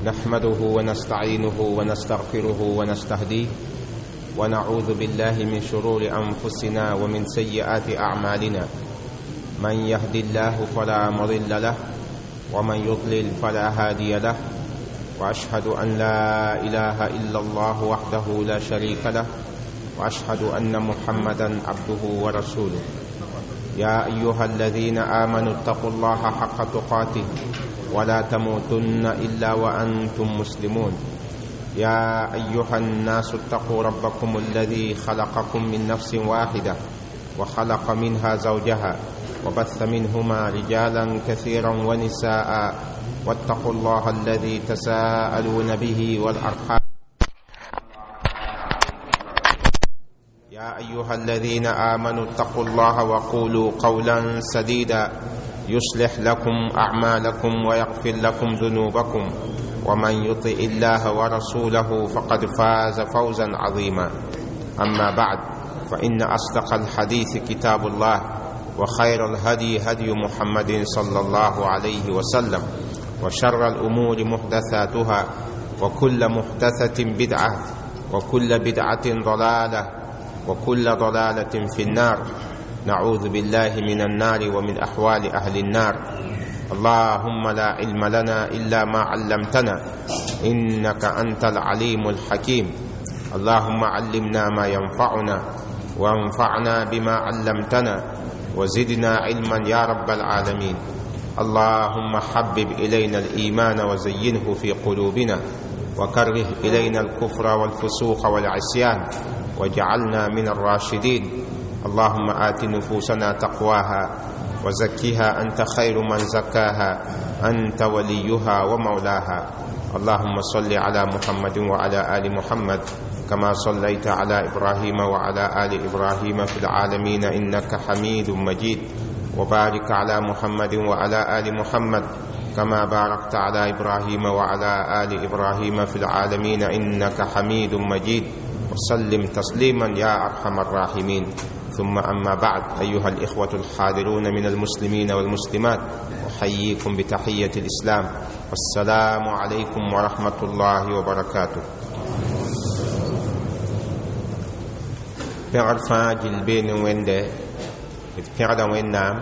نحمده ونستعينه ونستغفره ونستهديه، ونعوذ بالله من شرور أنفسنا ومن سيئات أعمالنا. من يهد الله فلا مضل له، ومن يضلل فلا هادي له. وأشهد أن لا إله إلا الله وحده لا شريك له، وأشهد أن محمدا عبده ورسوله. يا أيها الذين آمنوا اتقوا الله حق تقاته ولا تموتن إلا وأنتم مسلمون. يا أيها الناس اتقوا ربكم الذي خلقكم من نفس واحدة وخلق منها زوجها وبث منهما رجالا كثيرا ونساء، واتقوا الله الذي تساءلون به والأرحام. يا أيها الذين آمنوا اتقوا الله وقولوا قولا سديدا يصلح لكم أعمالكم ويغفر لكم ذنوبكم، ومن يطع الله ورسوله فقد فاز فوزا عظيما. أما بعد، فإن أصدق الحديث كتاب الله، وخير الهدي هدي محمد صلى الله عليه وسلم، وشر الأمور محدثاتها، وكل محدثة بدعة، وكل بدعة ضلالة، وكل ضلالة في النار. نعوذ بالله من النار ومن أحوال أهل النار. اللهم لا علم لنا إلا ما علمتنا، إنك أنت العليم الحكيم. اللهم علمنا ما ينفعنا، وانفعنا بما علمتنا، وزدنا علما يا رب العالمين. اللهم حبب إلينا الإيمان وزينه في قلوبنا، وكره إلينا الكفر والفسوق والعصيان، واجعلنا من الراشدين. اللهم آت نفوسنا تقواها وزكها أنت خير من زكاها، أنت وليها ومولاها. اللهم صل على محمد وعلى آل محمد كما صليت على إبراهيم وعلى آل إبراهيم في العالمين إنك حميد مجيد، وبارك على محمد وعلى آل محمد كما باركت على إبراهيم وعلى آل إبراهيم في العالمين إنك حميد مجيد، وسلم تسليما يا أرحم الراحمين. ثم أما بعد، أيها الإخوة الحاضرون من المسلمين والمسلمات، أحييكم بتحية الإسلام، والسلام عليكم ورحمة الله وبركاته. Pẽgr fãa gill bee ne Wẽnde, d pẽgda Wẽnnaam,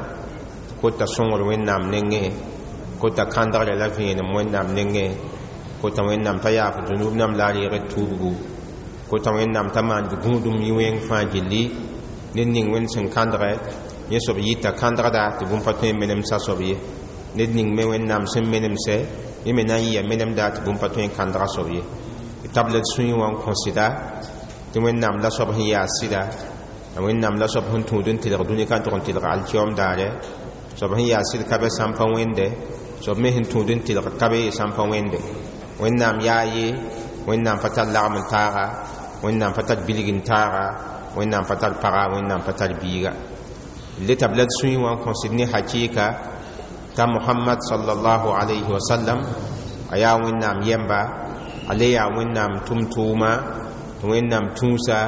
kota sõngr Wẽnnaam nengẽ, kota kãndgre la vẽenem Wẽnnaam nengẽ, kota Wẽnnaam t'a yaaf dũnub nam la a reeg d tuubgu, kota Wẽnnaam t'a maan d gũudum yĩ wẽng fãa gilli. Ned ning Wẽnd sẽn kãndgɛ, yẽ soab yita kãndgda tɩ bũmb pa tõe n menemsa soab ye. Ned ning me Wẽnnaam sẽn menemsɛ, yẽ me na n yɩa menemda tɩ bũmb pa tõe n kãndga soab ye. D tabl d sũyẽ wã n kõ sɩda tɩ Wẽnnaam la soab sẽn yaa sɩda, la Wẽnnaam la soab sẽn tũud n tɩlg dũni ka tʋg n tɩlg alkiyoom daare. Soab sẽn yaa sɩd ka be sã n pa wẽnde, soab me sẽn tũud n tɩlg ka be sã n pa wẽnde. Wẽnnaam yaa ye, Wẽnnaam pa tar lagm n taaga, Wẽnnaam pa tar bilg n taaga, Wẽnnaam pa tar paga, Wẽnnaam pa tar biiga. Le tabla d sũyẽ wã n kõsd ne hakɩɩka t'a Mohamad sallallahu alayhi wa sallam a yaa Wẽnnaam yɛmba, a le yaa Wẽnnaam tʋm-tʋʋma, tɩ Wẽnnaam tũusa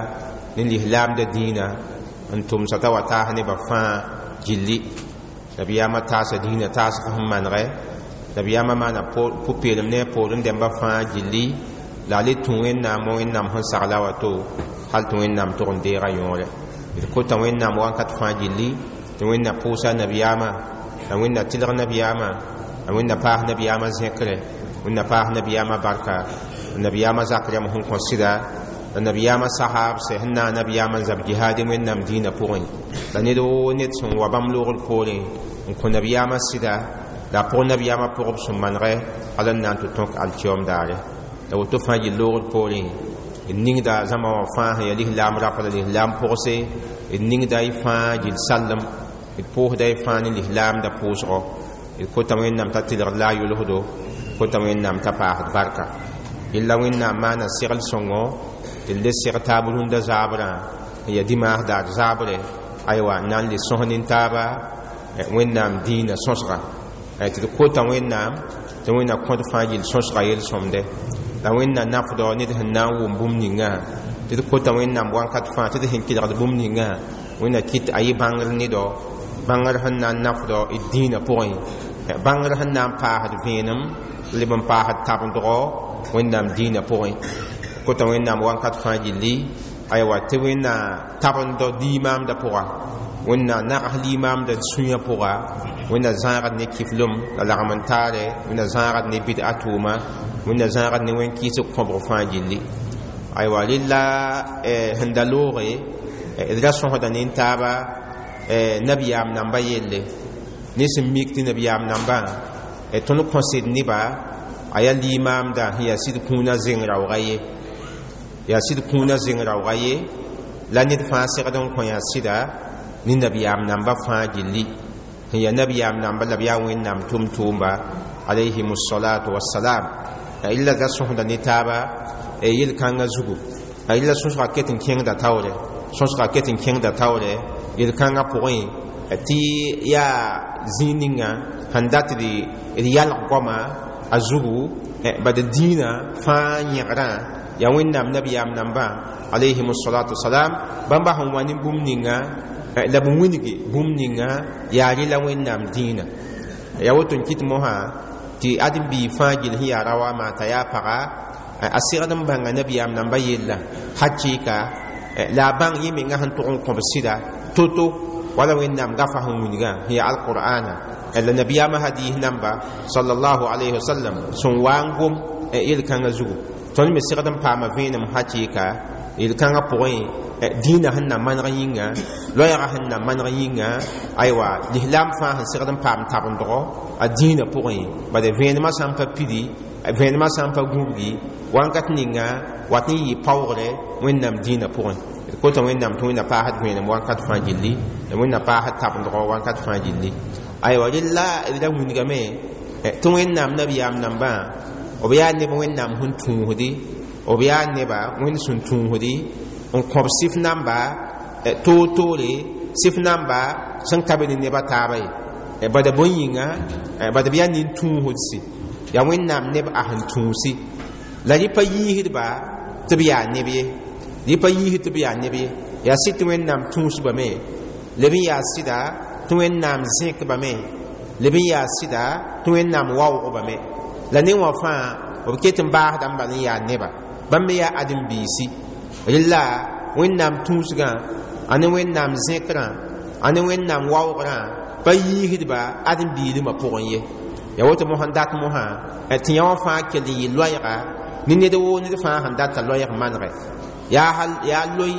ne lislaamda dĩinã n tʋmsa t'a wa taas nebã fãa gilli. Nabiyaamã taasa dĩinã taasg sẽn manegɛ, nabiyaamã maana pʋ-peelem ne a poorẽ dẽmbã fãa gilli, la a le tũ Wẽnnaam wa Wẽnnaam sẽn sagla wato, hal tɩ Wẽnnaam tʋg n deega yõore. D kota Wẽnnaam wãnkat fãa gilli, tɩ Wẽnna pʋʋsa nabiyaamã, la Wẽnna tɩlg nabiyaamã, la Wẽnna paas nabiyaamã zẽkre, Wẽnna paas nabiyaamã barka, la nabiyaamã zak rẽmb sẽn kõ sɩda, la nabiyaamã sahaabsɛ sẽn naag nabiyaamã n zab jihaad Wẽnnaam dĩinã pʋgẽ, la ned woo ned sẽn wa bãmb loogr poorẽ n kõ nabiyaamã sɩda, la a pʋg nabiyaamã pʋgb sẽn manegɛ hal n na n tɩ tõk alkiyoom daare. La woto fãa yɩ loogr poorẽ d ningda zãma wã fãa sẽn yaa lislaam rapa la lislaam pʋgse, d ningda y fãa gill sallem, d pʋʋsda y fãa ne lislaamda pʋʋsgɔ. D kota Wẽnnaam t'a tɩlgd la a yʋlsdo, kota Wẽnnaam t'a paasd barka. Yella Wẽnnaam maana segl sõngo tɩ d le seg taab rũndã zaabrã n yaa dimaas daar zaabre, aywa n na n le sõs nin-taaba Wẽnnaam dĩinã sõsga, tɩ d kota Wẽnnaam tɩ Wẽnna kõd fãa gill sõsga yel-sõmde. La Wẽnna nafdɔ ned sẽn na n wʋm bũmb ningã, tɩ d kota Wẽnnaam wãnkat fãa tɩ d sẽn kelgd bũmb ningã, Wẽnna kɩt a yɩ bãngr nedɔ, bãngr sẽn na n nafdɔ d dĩinã pʋgẽ, bãngr sẽn na n paasd vẽenem Leb n paasd tabendgo Wẽnnaam dĩinã pʋgẽ. Kota Wẽnnaam wãnkat fãa gilli, aywa, tɩ Wẽnna tabend limaamdã pʋga, Wẽnna nags limaamdã sũyã pʋga, Wẽnna zãagd ne kiflem la lagm n taare, Wẽnna zãagd ne bɩd'a tʋʋma, Wẽnna zãagd ne wẽn-kɩɩsg kõbg fãa gilli. Aywa, rella sẽn da looge d ra sõsda nin-taaba nabiyaam namba yelle ne sẽn mik tɩ nabiyaam nambã tõnd kõsd neba a yaa limaamda sẽn yaa sɩd kũunã zeng raooga ye, yaa sɩd kũunã zeng raooga ye, la ned fãa segd n kõ yaa sɩda ne nabiyaam namba fãa gilli sẽn yaa nabiyaam namba la b yaa Wẽnnaam tʋm-tʋʋmba alayhim salatu wassalam. Illa ra sõsda ne taaba yel-kãngã zugu. Illa sõsga ket n kẽngda taoore, sõsga ket n kẽngda taoore yel-kãngã pʋgẽ tɩ yaa zĩig ninga sẽn dat d yalg goama a zugu bad dĩinã fãa yẽgrã yaa Wẽnnaam nabiyaam nambã alayhim salatu wasalam. Bãmba sẽn wa ne bũmb ninga la b wilgi bũmb ninga yaa rɩla Wẽnnaam dĩinã. Yaa woto n kɩt mosã tɩ ãdem-biig fãa gill sẽn yaa raoa maa t'a yaa paga a segd n bãnga nabiyaam nambã yella hakɩɩka la a bãng yẽ menga sẽn tʋg n kõb sɩda to-to wala Wẽnnaam gafa sẽn wilgã sẽn yaa alqur'ana la nabiyaamã hadis namba sallallahu alayhi wasallam sẽn wa n gom yel-kãngã zugu. Tõnd me segd n paama vẽenem hakɩɩka yel-kãngã pʋgẽ dĩinã sẽn na maneg yĩnga, loɛɛgã sẽn na maneg yĩnga, aywa, lislaam fãa sẽn segd n paam tabendgo a dĩinã pʋgẽ. Bad vẽenemã sã n pa pidi, vẽenemã sã n pa gũbgi wãnkat ninga wat n yɩ paoogre Wẽnnaam dĩinã pʋgẽ. D kota Wẽnnaam tɩ Wẽnna paasd vẽenem wãnkat fãa gilli la Wẽnna paasd tabendgo wãnkat fãa gilli. Aywa, rella d ra wilgame tɩ Wẽnnaam nabiyaam nambã b yaa neb Wẽnnaam sẽn tũusdi, b yaa neba Wẽnd sẽn tũusdi n kõb sɩf namba toor-toore, sɩf namba sẽn ka be ne neba taaba ye. Bada bõe yĩnga? Bad b yaa nin-tũusdsi, yaa Wẽnnaam neb a sẽn tũusi la rɩ pa yiisdba tɩ b yaa neb ye, rɩ pa yiisd tɩ b yaa neb ye. Yaa sɩd tɩ Wẽnnaam tũusbame, leb n yaa sɩda tɩ Wẽnnaam zẽkbame, leb n yaa sɩda tɩ Wẽnnaam waoogame. La ne wã fãa b ket n baasda n bal n yaa neba, bãmb me yaa ãdem-biisi. Rella Wẽnnaam tũusgã a ne Wẽnnaam zẽkrã a ne Wẽnnaam waoogrã pa yiisdba ãdem-biilimã pʋgẽ ye. Yaa woto mosã dat mosã tɩ yã wã fãa kell n yɩ loɛɛga ne ned woo ned fãa sẽn data loɛɛg manegɛ yaa loe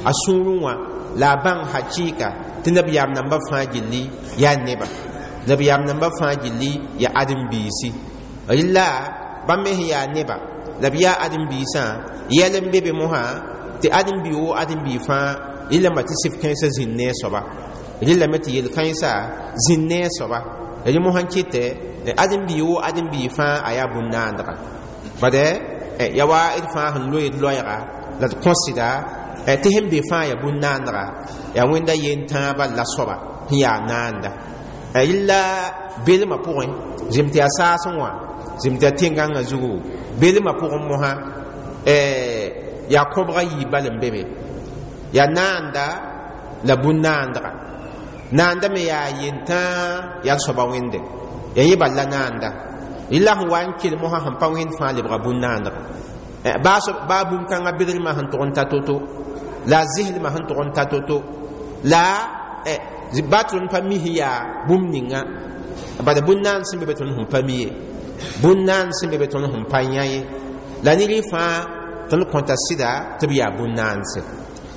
a sũurẽ wã la a bãng hakɩɩka tɩ nabiyaam nambã fãa gilli yaa neba, nabiyaam nambã fãa gilli yaa ãdem-biisi. Rella bãmb me sẽn yaa neba la b yaa ãdem-biisã yɛl n be be mosã tɩ ãdem-bi woo ãdem-bi fãa rɩlame tɩ sɩf kãensã zĩnd ne a soaba, rɩlame tɩ yel-kãensã zĩnd ne a soaba. Rẽ mosã n kɩtɛ ãdem-bi woo ãdem-bi fãa a yaa bũn-naandga. Bad ya wa d fãa sẽn loe d loɛɛga la d kõsda tɩ sẽn be fãa yaa bũn-naandga, yaa Wẽnda yen tãabã la soaba sẽn yaa naanda. Rɩlla belmã pʋgẽ zem tɩ yaa saasẽ wã, zem tɩ yaa tẽn-gãngã zugu belmã pʋgẽ mosã yaa kõbga yiib bal n be be, yaa naanda la bũn-naandga. Naanda me yaa yentãa yaa soaba Wẽnde, yaa yẽ bal la naanda. Rɩla sẽn wa n kell mosã sẽn pa wẽnd fãa lebga bũn-naandga, baa bũn-kãngã bedrmã sẽn tʋg n ta to-to la a zɩslmã sẽn tʋg n ta to-to la ba tõnd pa mi sẽn yaa bũmb ninga. Bad bũn-naand sẽn be be tõnd sẽn pa mi ye, bũn-naand sẽn be be tõnd sẽn pa yã ye, la ne rɩ fãa tõnd kõta sɩda tɩ b yaa bũn-naandse.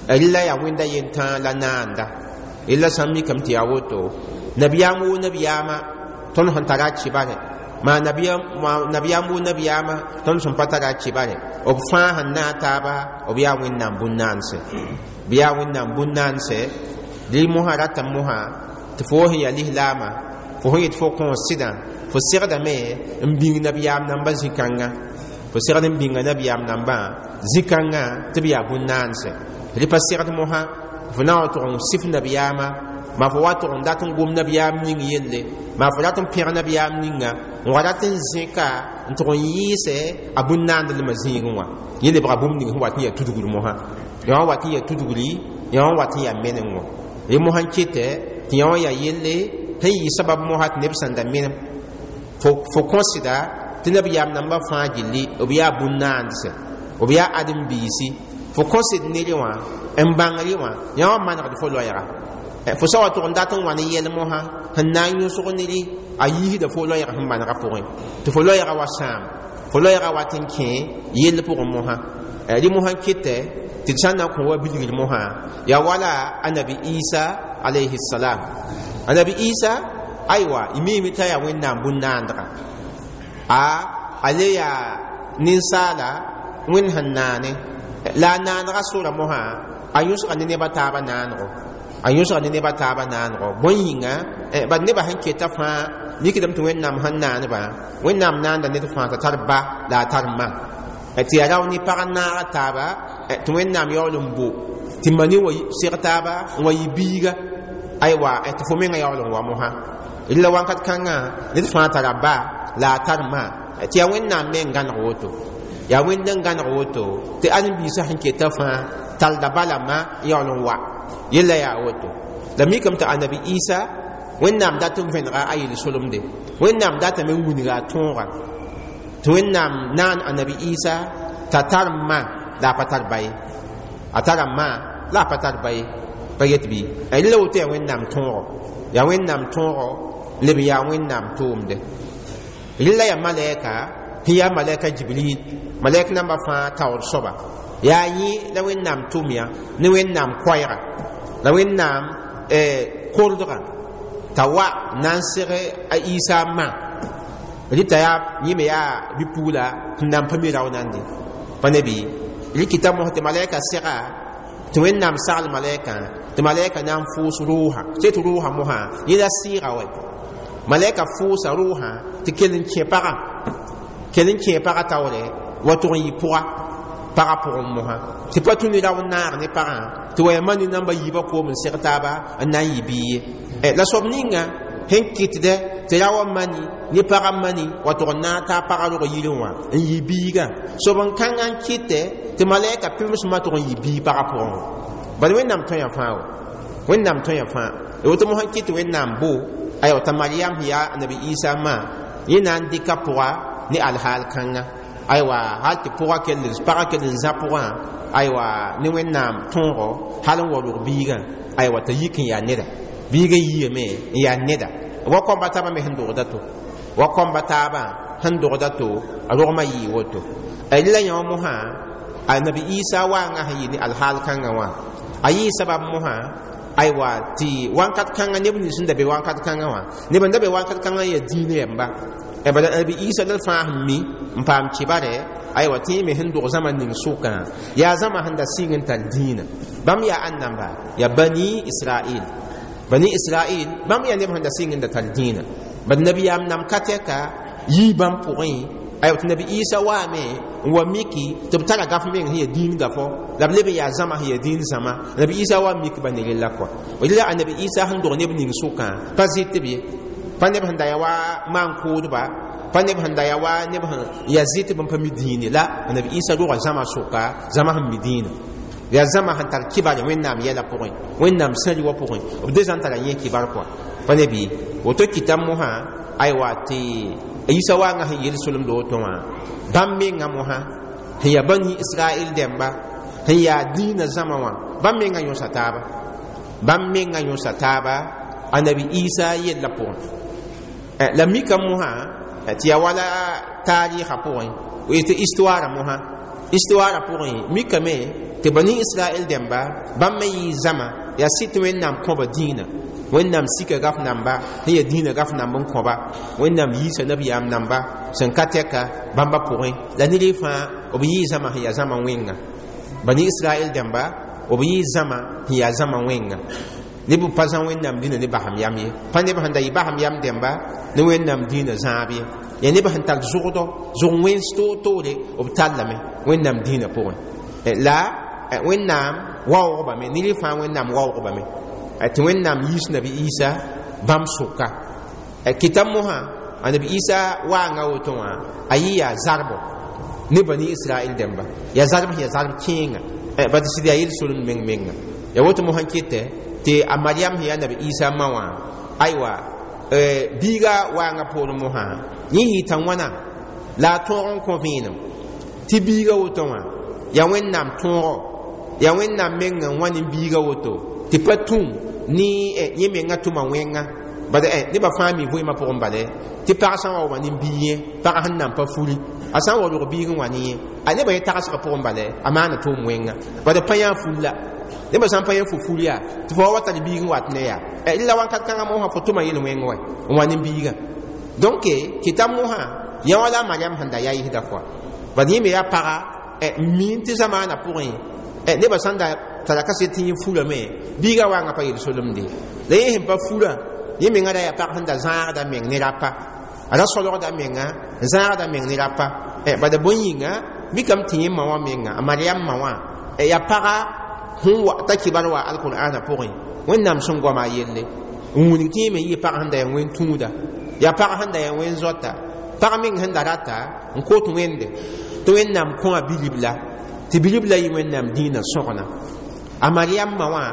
Rɩla yaa Wẽnda yentãa la naanda. Rɩla sã n mikame tɩ yaa woto nabiyaam woo nabiyaamã tõnd sẽn tara a kɩbarɛ maa nabiyaam woo nabiyaamã tõnd sẽn pa tara a kɩbarɛ, b fãa sẽn naag taaba b yaa Wẽnnaam bũn-naandse, b yaa Wẽnnaam bũn-naandse. Rɩ mosã rata mosã tɩ fo sẽn yaa lislaamã fo sẽn yet fo kõos sɩdã fo segdame n bĩng nabiyaam nambã zĩ-kãnga, fo segd n bĩnga nabiyaam nambã zĩ-kãngã tɩ b yaa bũn-naandse. Rɩ pa segd mosã fo na n wa tʋg n sɩf nabiyaamã maa fo wa tʋg n dat n gom nabiyaam ning yelle maa fo rat n pẽg nabiyaam ninga n wa rat n zẽka n tʋg n yɩɩsɛ a bũn-naandlmã zĩigẽ wã. Yẽ lebga bũmb ning sẽn wat n yaa tudgr mosã, yã wã wat n yaa tudgri, yã wã wat n yaa meneng wã. Rẽ mosã n kɩtɛ tɩ yã wã yaa yelle sẽn yɩ sabab mosã tɩ neb sẽn da menem fo kõsda Tɩ nabiyaam nambã fãa gilli b yaa bũn-naandse, b yaa ãdem-biisi. Fo kõ sɩd nere wã n bãng rẽ wã, yã wã manegd fo loɛɛga. Fo sa wa tʋg n dat n wa ne yɛl mosã sẽn na n yõsg nere, a yiisda fo loɛɛg sẽn manegã pʋgẽ, tɩ fo loɛɛga wa sãam, fo loɛɛga wat n kẽ yell pʋgẽ mosã. Rẽ mosã n kɩtɛ tɩ d sã n na n kõ wa bilgr mosã, yaa wala Anabi Isa alayhi salam. Anabi Isa, aywa, y miime t'a yaa Wẽnnaam bũn-naandga, a le yaa ninsaala Wẽnd sẽn naane la a naanega sora mosã, a yõsga ne neba taaba naanego, a yõsga ne neba taaba naanego. Bõe yĩnga? Bad nebã sẽn keta fãa mikdame tɩ Wẽnnaam sẽn naaneba, Wẽnnaam naanda ned fãa t'a tar ba la a tar ma, tɩ yaa rao ne pag n naaga taaba, tɩ Wẽnnaam yaool n bo tɩ mani wa seg taaba n wa yɩ biiga, aywa, tɩ fo menga yaool n wa mosã. La wãnkat kãngã ned fãa tara ba la a tar ma, tɩ yaa Wẽnnaam me n gãneg woto, yaa Wẽnd n gãneg woto tɩ ãdem-biisã sẽn keta fãa talda ba la ma n yaool n wa yella yaa woto. La mikame tɩ Anabi Isa, Wẽnnaam dat n vẽnega a yel-solemde, Wẽnnaam datame n wilga a tõoga, tɩ Wẽnnaam naan Anabi Isa t'a tar ma la a pa tar ba ye, a tara ma la a pa tar ba ye, pa yet bɩ rẽ la woto. Yaa Wẽnnaam tõogo, yaa Wẽnnaam tõogo leb, yaa Wẽnnaam tʋʋmde. Rẽ la yaa malɛka sẽn yaa malɛka Jibril, malɛk nambã fãa taoor soaba, yaa yẽ la Wẽnnaam tʋm ya ne Wẽnnaam koɛɛga la Wẽnnaam kordgã t'a wa na n seg a Isa ma. Rɩta yaa yẽ me yaa bi-pugla sẽn na n pa mi rao nande pa ne bɩ. Rɩkɩta mos tɩ malɛka sega, tɩ Wẽnnaam sagl malɛkã, tɩ malɛka na n fʋʋs rʋʋsã tɩ tɩ rʋʋsã mosã yẽ la sɩɩga wɛ. Malɛka fʋʋsa rʋʋsã tɩ kell n kẽ pagã, kell n kẽ pagã taoore wa tʋg n yɩ pʋga pagã pʋgẽ mosã, tɩ pa tũ ne rao n naag ne pagã, tɩ wa yaa mani namba yiibã koom n seg taaba n na n yɩ bɩ ye. La soab ninga sẽn kɩtdɛ tɩ ra wa mani ne pagã mani wa tʋg n naag t'a pagã rog yirẽ wã n yɩ biigã, soab n kãngã n kɩtɛ tɩ malɛka pɩms ma tʋg n yɩ bii pagã pʋgẽ wã. Bala Wẽnnaam tõe fãa wa, Wẽnnaam tõe fãa woto mosã n kɩt tɩ Wẽnnaam bo, aywa, t'a Mariam sẽn yaa Anabi Isa ma, yẽ na n dɩka pʋga ne alhaal kãnga, aywa, hal tɩ pʋga kell, pagã kell n zã pʋgã, aywa, ne Wẽnnaam tõogo hal n wa rog biigã, aywa, t'a yik n yaa neda, biigã yiame n yaa neda wa kõmba taabã me sẽn dogda to, wa kõmba taabã sẽn dogda to, a rogmã yɩɩ woto. La yã wã mosã, Anabi Isa waangã sẽn yɩ ne alhaal kãngã wã, a yɩɩ sabab mosã, aywa, tɩ wãnkat kãngã neb nins sẽn da be wãnkat kãngã wã, neb n da be wãnkat kãngã yaa dĩin yɛmba. Bala Anabi Isa la fãa sẽn mi n paam kibare, aywa, tɩ me sẽn dog zãma ning sʋkã yaa zãma sẽn da sɩng n tar dĩinã. Bãmb yaa ãn-namba? Yaa Bani Israel, Bani Israel bãmb yaa neb sẽn da sɩng n da tar dĩinã. Bad nabiyaam nam ka tɛka yii bãmb pʋgẽ, aywa, tɩ Nabi Isa waame n wa miki tɩ b tara gaf meng sẽn yaa dĩin gafɔ, la b leb n yaa zãma sẽn yaa dĩin zãma. Nabi Isa wa mik ba ne rella kɔa. La Anabi Isa sẽn dog neb ning sʋkã pa zɩt b ye, pa neb sẽn da yaa wa maan-kʋʋdba, pa neb sẽn da yaa wa neb sẽn yaa zɩt b n pa mi dĩine la. Anabi Isa roga zãma sʋka, zãma sẽn mi dĩinã, yaa zãma sẽn tar kibare Wẽnnaam yɛla pʋgẽ, Wẽnnaam sãri wã pʋgẽ, b de zãn tara yẽ kibar kɔa pa ne bɩ woto. Kɩta mosã, aywa, tɩ Isa waangã sẽn yel solemd woto wã, bãmb mengã mosã sẽn yaa Bani Israel dẽmba sẽn yaa dĩinã zãma wã, bãmb mengã yõsa taaba, bãmb mengã yõsa taaba Anabi Isa yellã pʋgẽ. La mika mosã tɩ yaa wala taarɩɩgã pʋgẽ, tɩ histoire mosã, histoire pʋgẽ mikame tɩ Bani Israel dẽmba bãmb me yɩɩ zãma yaa sɩd tɩ Wẽnnaam kõba dĩinã, Wẽnnaam sika gaf namba sẽn yaa dĩinã gaf namb n kõba, Wẽnnaam yiisa nabiyaam namba sẽn ka tɛka bãmba pʋgẽ. La ned fãa b yɩɩ zãma sẽn yaa zãma wẽnga, Bani Israel dẽmba b yɩɩ zãma sẽn yaa zãma wẽnga, neb b pa zã Wẽnnaam dĩnã ne basem yam ye, pa neb sẽn da yɩ basem yam dẽmba ne Wẽnnaam dĩinã zãab ye, yaa neb sẽn tar zʋgdɔ zʋg wẽns toor-toore b tallame Wẽnnaam dĩinã pʋgẽ. La Wẽnnaam waoogame, ned fãa Wẽnnaam waoogame tɩ Wẽnnaam yiis Nabi Isa bãmb sʋka. Kɩta mosã Anabi Isa waanga woto wã, a yɩ yaa zarbo ne Bani Israel dẽmba, yaa zarb sẽn yaa zarb kẽenga bat sɩd yaa yel-solem meng menga. Yaa woto mosã kɩtɛ tɩ a Mariam sẽn yaa Nabi Isa ma wã, aywa, biiga waanga poorẽ mosã, yẽ yɩɩ t'a wãna La a tõog n kõ vẽenem tɩ biiga woto wã yaa Wẽnnaam tõogo, yaa Wẽnnaam meng n wa ne biiga woto tɩ pa tũ ne yẽ menga tʋma wẽnga. Bad nebã fãa mi vɩɩmã pʋgẽ bale tɩ pag sã n wa wa ne biig yẽ, pag sẽn nan pa furi, a sã n wa rog biig n wa ne yẽ, a nebã yẽ tagsgã pʋgẽ bale a maana tʋʋm wẽnga. Bad pa yã ful la nebã sã n pa yẽ fo fur yaa tɩ fo wa wa tar biig n wat ne yaa la wãnkat kãngã mosã fo tʋma yel-wẽng wa n wa ne biigã. Donc kɩta mosã yã wala a Mariam sẽn da yaa yɩsda fʋa. Bad yẽ me yaa paga n miin tɩ zamaanã pʋgẽ nebã sãn da tara kaset tɩ yẽ furame, biigã wanga pa yel-solemde. La yẽ sẽn pa furã, yẽ menga ra yaa pag sẽn da zãagda meng ne rapa, a ra solgda menga n zãagda meng ne rapa. Bad bõe yĩnga mikame tɩ yẽ ma wã menga, a Mariam ma wã yaa paga sẽn wa t'a kibar wa alqur'ana pʋgẽ, Wẽnnaam sẽn goama a yelle n wilg tɩ yẽ me yɩ pag sẽn da yaa wẽn tũuda, yaa pag sẽn da yaa wẽn zoata, pag meng sẽn da rata n kot Wẽnde tɩ Wẽnnaam kõ a bilibla, tɩ bilibla yɩ Wẽnnaam dĩinã sõgna. A Mariam ma wã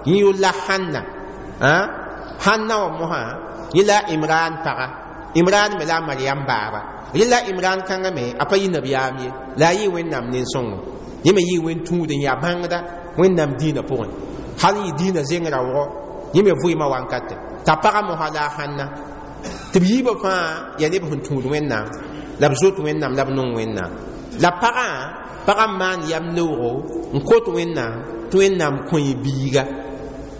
yẽ yʋl la Hanna. Hanna wã mosã yẽ la Imran paga, Imran me la a Mariam baaba. Yẽ la Imran kãngã me a pa yɩ nabiyaam ye, la a yɩ Wẽnnaam nen-sõngo, yẽ me yɩ wẽn tũud n yaa bãngda Wẽnnaam dĩinã pʋgẽ, hal n yɩ dĩinã zeng raoogɔ, yẽ me vɩɩmã wankate t'a pagã mosã la a Hanna. Tɩ b yiibã fãa yaa neb sẽn tũud Wẽnnaam la b zoet Wẽnnaam la b nong Wẽnnaam. La pagã pagã n maan yam neoogo n kot Wẽnnaam tɩ Wẽnnaam kõ yẽ biiga,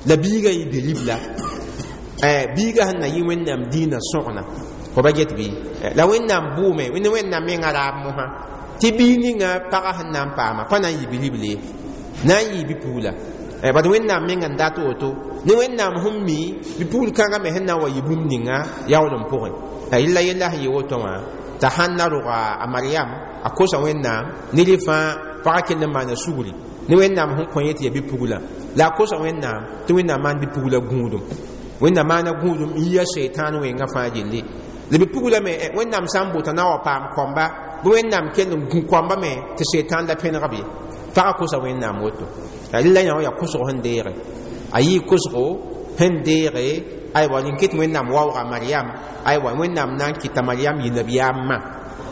la biigã yɩ bilibla, biigã sẽn na yɩ Wẽnnaam dĩinã sõgna. Fo ba get bɩ? La Wẽnnaam bʋʋme ne Wẽnnaam mengã raab mosã tɩ biig ninga pagã sẽn na n paama pa na n yɩ bilible ye, na n yɩ bi-pugla. Bad Wẽnnaam meng n dat woto ne Wẽnnaam sẽn mi bi-pugl kãngã me sẽn na n wa yɩ bũmb ninga yaool n pʋgẽ. Yella yella sẽn yɩ woto wã t'a sãn na roga a Mariam a kosa Wẽnnaam ne rẽ fãa pagã kell n maana sugri ne Wẽnnaam sẽn kõ yẽ tɩ yaa bi-pugla, la a kosa Wẽnnaam tɩ Wẽnnaam maan bi-pugla gũudum, Wẽnnaam maana gũudum n yi a seitan wẽngã fãa gilli. La bi-pugla me Wẽnnaam sã n bota na wa paam kɔmba, bɩ Wẽnnaam kell n gũ kɔmba me tɩ seitan la pẽneg b ye. Pagã kosa Wẽnnaam woto. La yã wã yaa kosg sẽn deege, a yɩɩ kosgo sẽn deege. Aywa, rẽn ket Wẽnnaam waooga Mariam. Aywa, Wẽnnaam na n kɩta Mariam yɩ nabiyaam ma,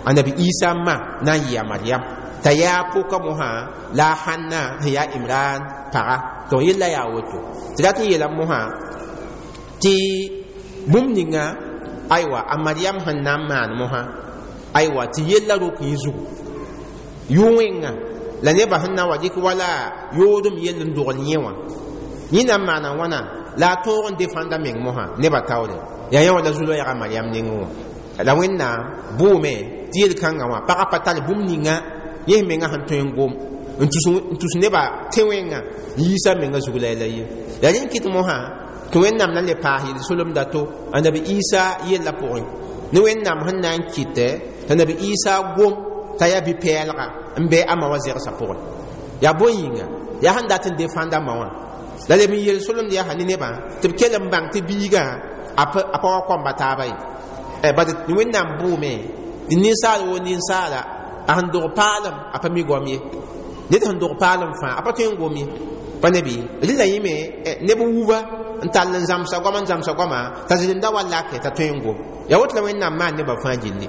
a Nabi Isa ma na n yɩ a Mariam t'a yaa pʋka mosã la a Hanna sẽn yaa Imran paga. Donc yella yaa woto tɩ rat n yeelame mosã tɩ bũmb ninga aywa a Mariam sẽn na n maan mosã, aywa, tɩ yella rok yẽ zugu yʋ-wẽnga la nebã sẽn na n wa dɩk wala yoodem yell n dogl yẽ wã, yẽ na n maana wãna la a tõog n defãnda meng mosã nebã taoore. Yaa yã wã la zu-loɛɛga Mariam nengẽ wã. La Wẽnnaam bʋʋme tɩ yel-kãngã wã pagã pa tar bũmb ninga yẽ menga sẽn tõe n gom n tus nebã tẽ-wẽngã n yiisa menga zug la la ye. La rẽ n kɩt mosã tɩ Wẽnnaam na n le paas yel-solemda to a Nabi Isa yellã pʋgẽ ne Wẽnnaam sẽn na n kɩtɛ t'a Nabi Isa gom t'a yaa bi-pɛɛlga n be a ma wã zɛgsã pʋgẽ. Yaa bõe yĩnga yaa sẽn dat n defãnda ma wã la leb n yel-solemd yaa ne nebã tɩ b kell n bãng tɩ biigã a pa wa kõmba taaba ye. Bad Wẽnnaam bʋʋme tɩ ninsaal woo ninsaala a sẽn dog paalem a pa mi goam ye, ned sẽn dog paalem fãa a pa tõe n gom ye, pa ne bɩ rɩla yẽme neb wuba n tall n zãmsa goama n zãmsa goama t'a zĩnda wa lake t'a tõe n gom. Yaa woto la Wẽnnaam maan nebã fãa gilli.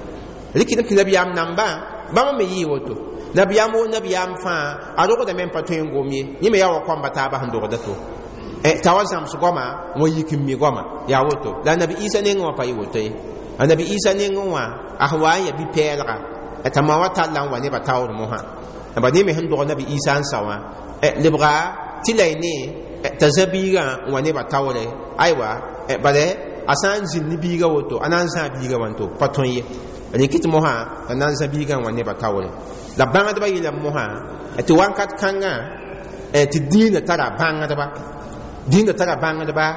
Rɩkɩdem tɩ nabiyaam nambã bãmb me yɩɩ woto, nabiyaam woo nabiyaam fãa a rogdame n pa tõe n gom ye, yẽ me yaa wa kõmba taaba sẽn dogda to t'a wa zãms goama n wa yik n mi goama. Yaa woto la Nabi Isa nengẽ wã pa yɩ woto ye. A Nabi Isa nengẽ wã a sẽn wa n yaa bi-pɛɛlga t'a ma wã talla n wa nebã taoor mosã ba ne me sẽn dog Nabi Isa n sa wã lebga tɩ la y ne t'a zã biigã n wa nebã taoore. Aywa, bala a sã n zĩnd ne biigã woto a na n zãa biigã wã n to pa tõe ye, rẽ kɩt mosã t'a na n zã biigã n wa nebã taoore. La bãngdbã yeelame mosã tɩ wãnkat kãngã tɩ dĩinã tara bãngdba, dĩinã tara bãngdba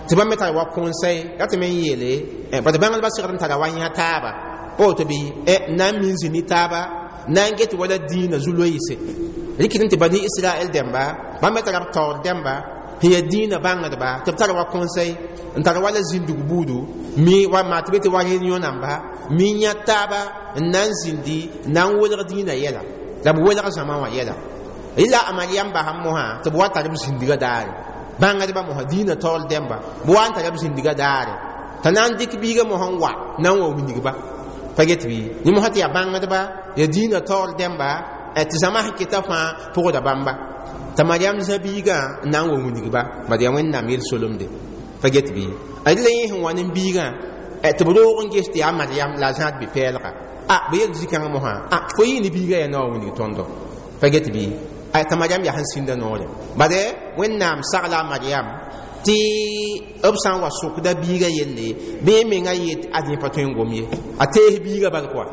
tɩ bãmb me tara wa kõnsɛy ra tɩ me n yeele bad bãngdbã segd n tara wa yã taaba pa woto bɩ na n min zĩ ne taaba na n get wala dĩinã zu-loeese. Rɩkɩd n tɩ bani Israɛl dẽmba bãmb me tara b taoor dẽmba sẽn yaa dĩinã bãngdba tɩ b tara wa kõnsɛy n tar wala zĩndg buudu mi wa maa tɩ be tɩ wa rẽen yõ-namba mi yã taaba n na n zĩndi n na n welg dĩinã yɛla la b welg zãma wã yɛla. Rɩla a Mariam basam mosã tɩ b wa tar b zĩndgã daare bãngdbã mosã dĩinã taoor dẽmba b wa n tara b zĩndgã daare t'a na n dɩk biigã mosã n wa na n wa wilgba. Pa get bɩ yẽ mosã tɩ yaa bãngdba ya dĩinã taoor dẽmba tɩ zãma sẽn keta fãa pʋgda bãmba t'a Mariam zã biigã n na n wa wilgba bad yaa Wẽnnaam yel-solemde. Pa get bɩ ad la yẽ sẽn wa ne biigã tɩ b roog n ges tɩ yaa Mariam la a zãad bi-pɛɛlga a b yel zĩ-kãngã mosã a fo yɩ ne biigã yaa na wa wilg tõndo. Pa get bɩ t'a Mariam yaa sẽn sĩnda noore bad Wẽnnaam sagla a Mariam tɩ b sã n wa sʋkda biigã yelle bɩ yẽ menga yet ad yẽ pa tõe n gom ye a tees biigã bal koa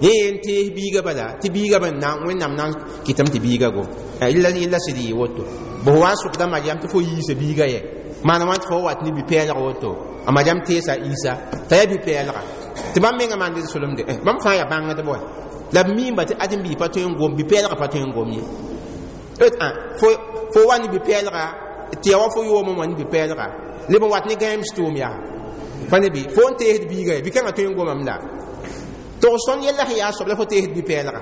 yẽ n tees biigã bala tɩ biigã b na Wẽnnaam na n kɩtame tɩ biigã gom yella sɩd yɩ woto bɩ fo wa n sʋkda Mariam tɩ fo yiisa biigã yɛ maana wã tɩ fo wat ne bi-pɛɛlg woto a Mariam teesa Isa t'a yaa bi-pɛɛlga tɩ bãmb mengã maan d solemde bãmb fãa yaa bãngdb wa la b miimba tɩ ad n bii pa tõe n gom bi-pɛɛlga pa tõe n gom ye fo wa ne bi-pɛɛlga tɩ ya wa fo yoomã wã ne bi-pɛɛlga leb n wat ne gãeems tʋʋm yaa pa ne bɩ fo n teesd biiga ye bi-kãngã tõe n gomame la tog sõn yella sẽn yaa soab la fo teesd bi-pɛɛlga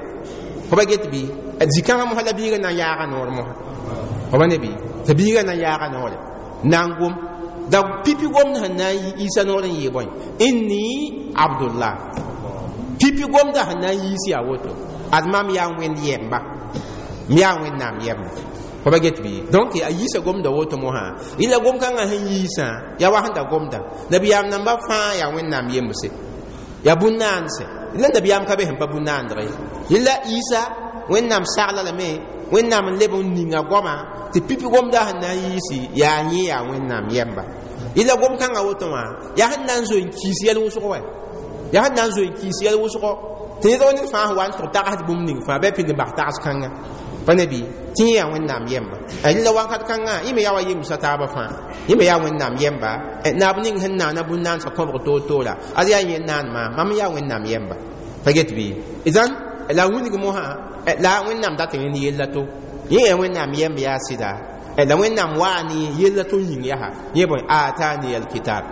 fo pa get bɩ zĩ-kãngã mosã la biigã na n yaaga noor mosã fo pa ne bɩ tɩ biigã na n yaaga noore na n gom da pipi gomd sẽn na n yi Isa noor n yee bõe inni Abdullah pipi gomda sẽn na n yiis yaa woto ad mam yaa Wẽnd yɛmba m yaa Wẽnnaam yɛmba. Fo pa get bɩ donc a yiisa gomda woto mosã yɩla gom-kãngã sẽn yiisã yaa wa sẽn da gomda nabiyaam namba fãa yaa Wẽnnaam yembse yaa bũn-naandse la nabiyaam ka be sẽn pa bũn-naandg ye yella Isa Wẽnnaam sagla lame Wẽnnaam n leb n ninga goama tɩ pipi gomda sẽn na n yiisi yaa yẽ yaa Wẽnnaam yɛmba yella gom-kãngã woto wã yaa sẽn na n zoe n kiis yɛl wʋsgo wɛ yaa sẽn na n zoe n kiis yɛl wʋsgo tɩ ned ned fãa sẽn wa n tʋg tagsd bũmb ning fãa bɩ a pid n bas tags kãnga pa ne bɩ tɩ yẽ yaa Wẽnnaam yɛmba rẽla wakat kãngã yẽ me yaa wa yemsa taabã fãa yẽ me yaa Wẽnnaam yɛmba naab ning sẽn naana bũn-naansã kõbg toor-toora ad yaa yẽ naan maam mam yaa Wẽnnaam yɛmba. Pa get bɩ idan la wilg mosã la Wẽnnaam dat yẽ ne yella to yẽ yaa Wẽnnaam yɛmb yaa sɩda la Wẽnnaam waa ne yella to yĩng yaa yẽ bõe aatani alkitab.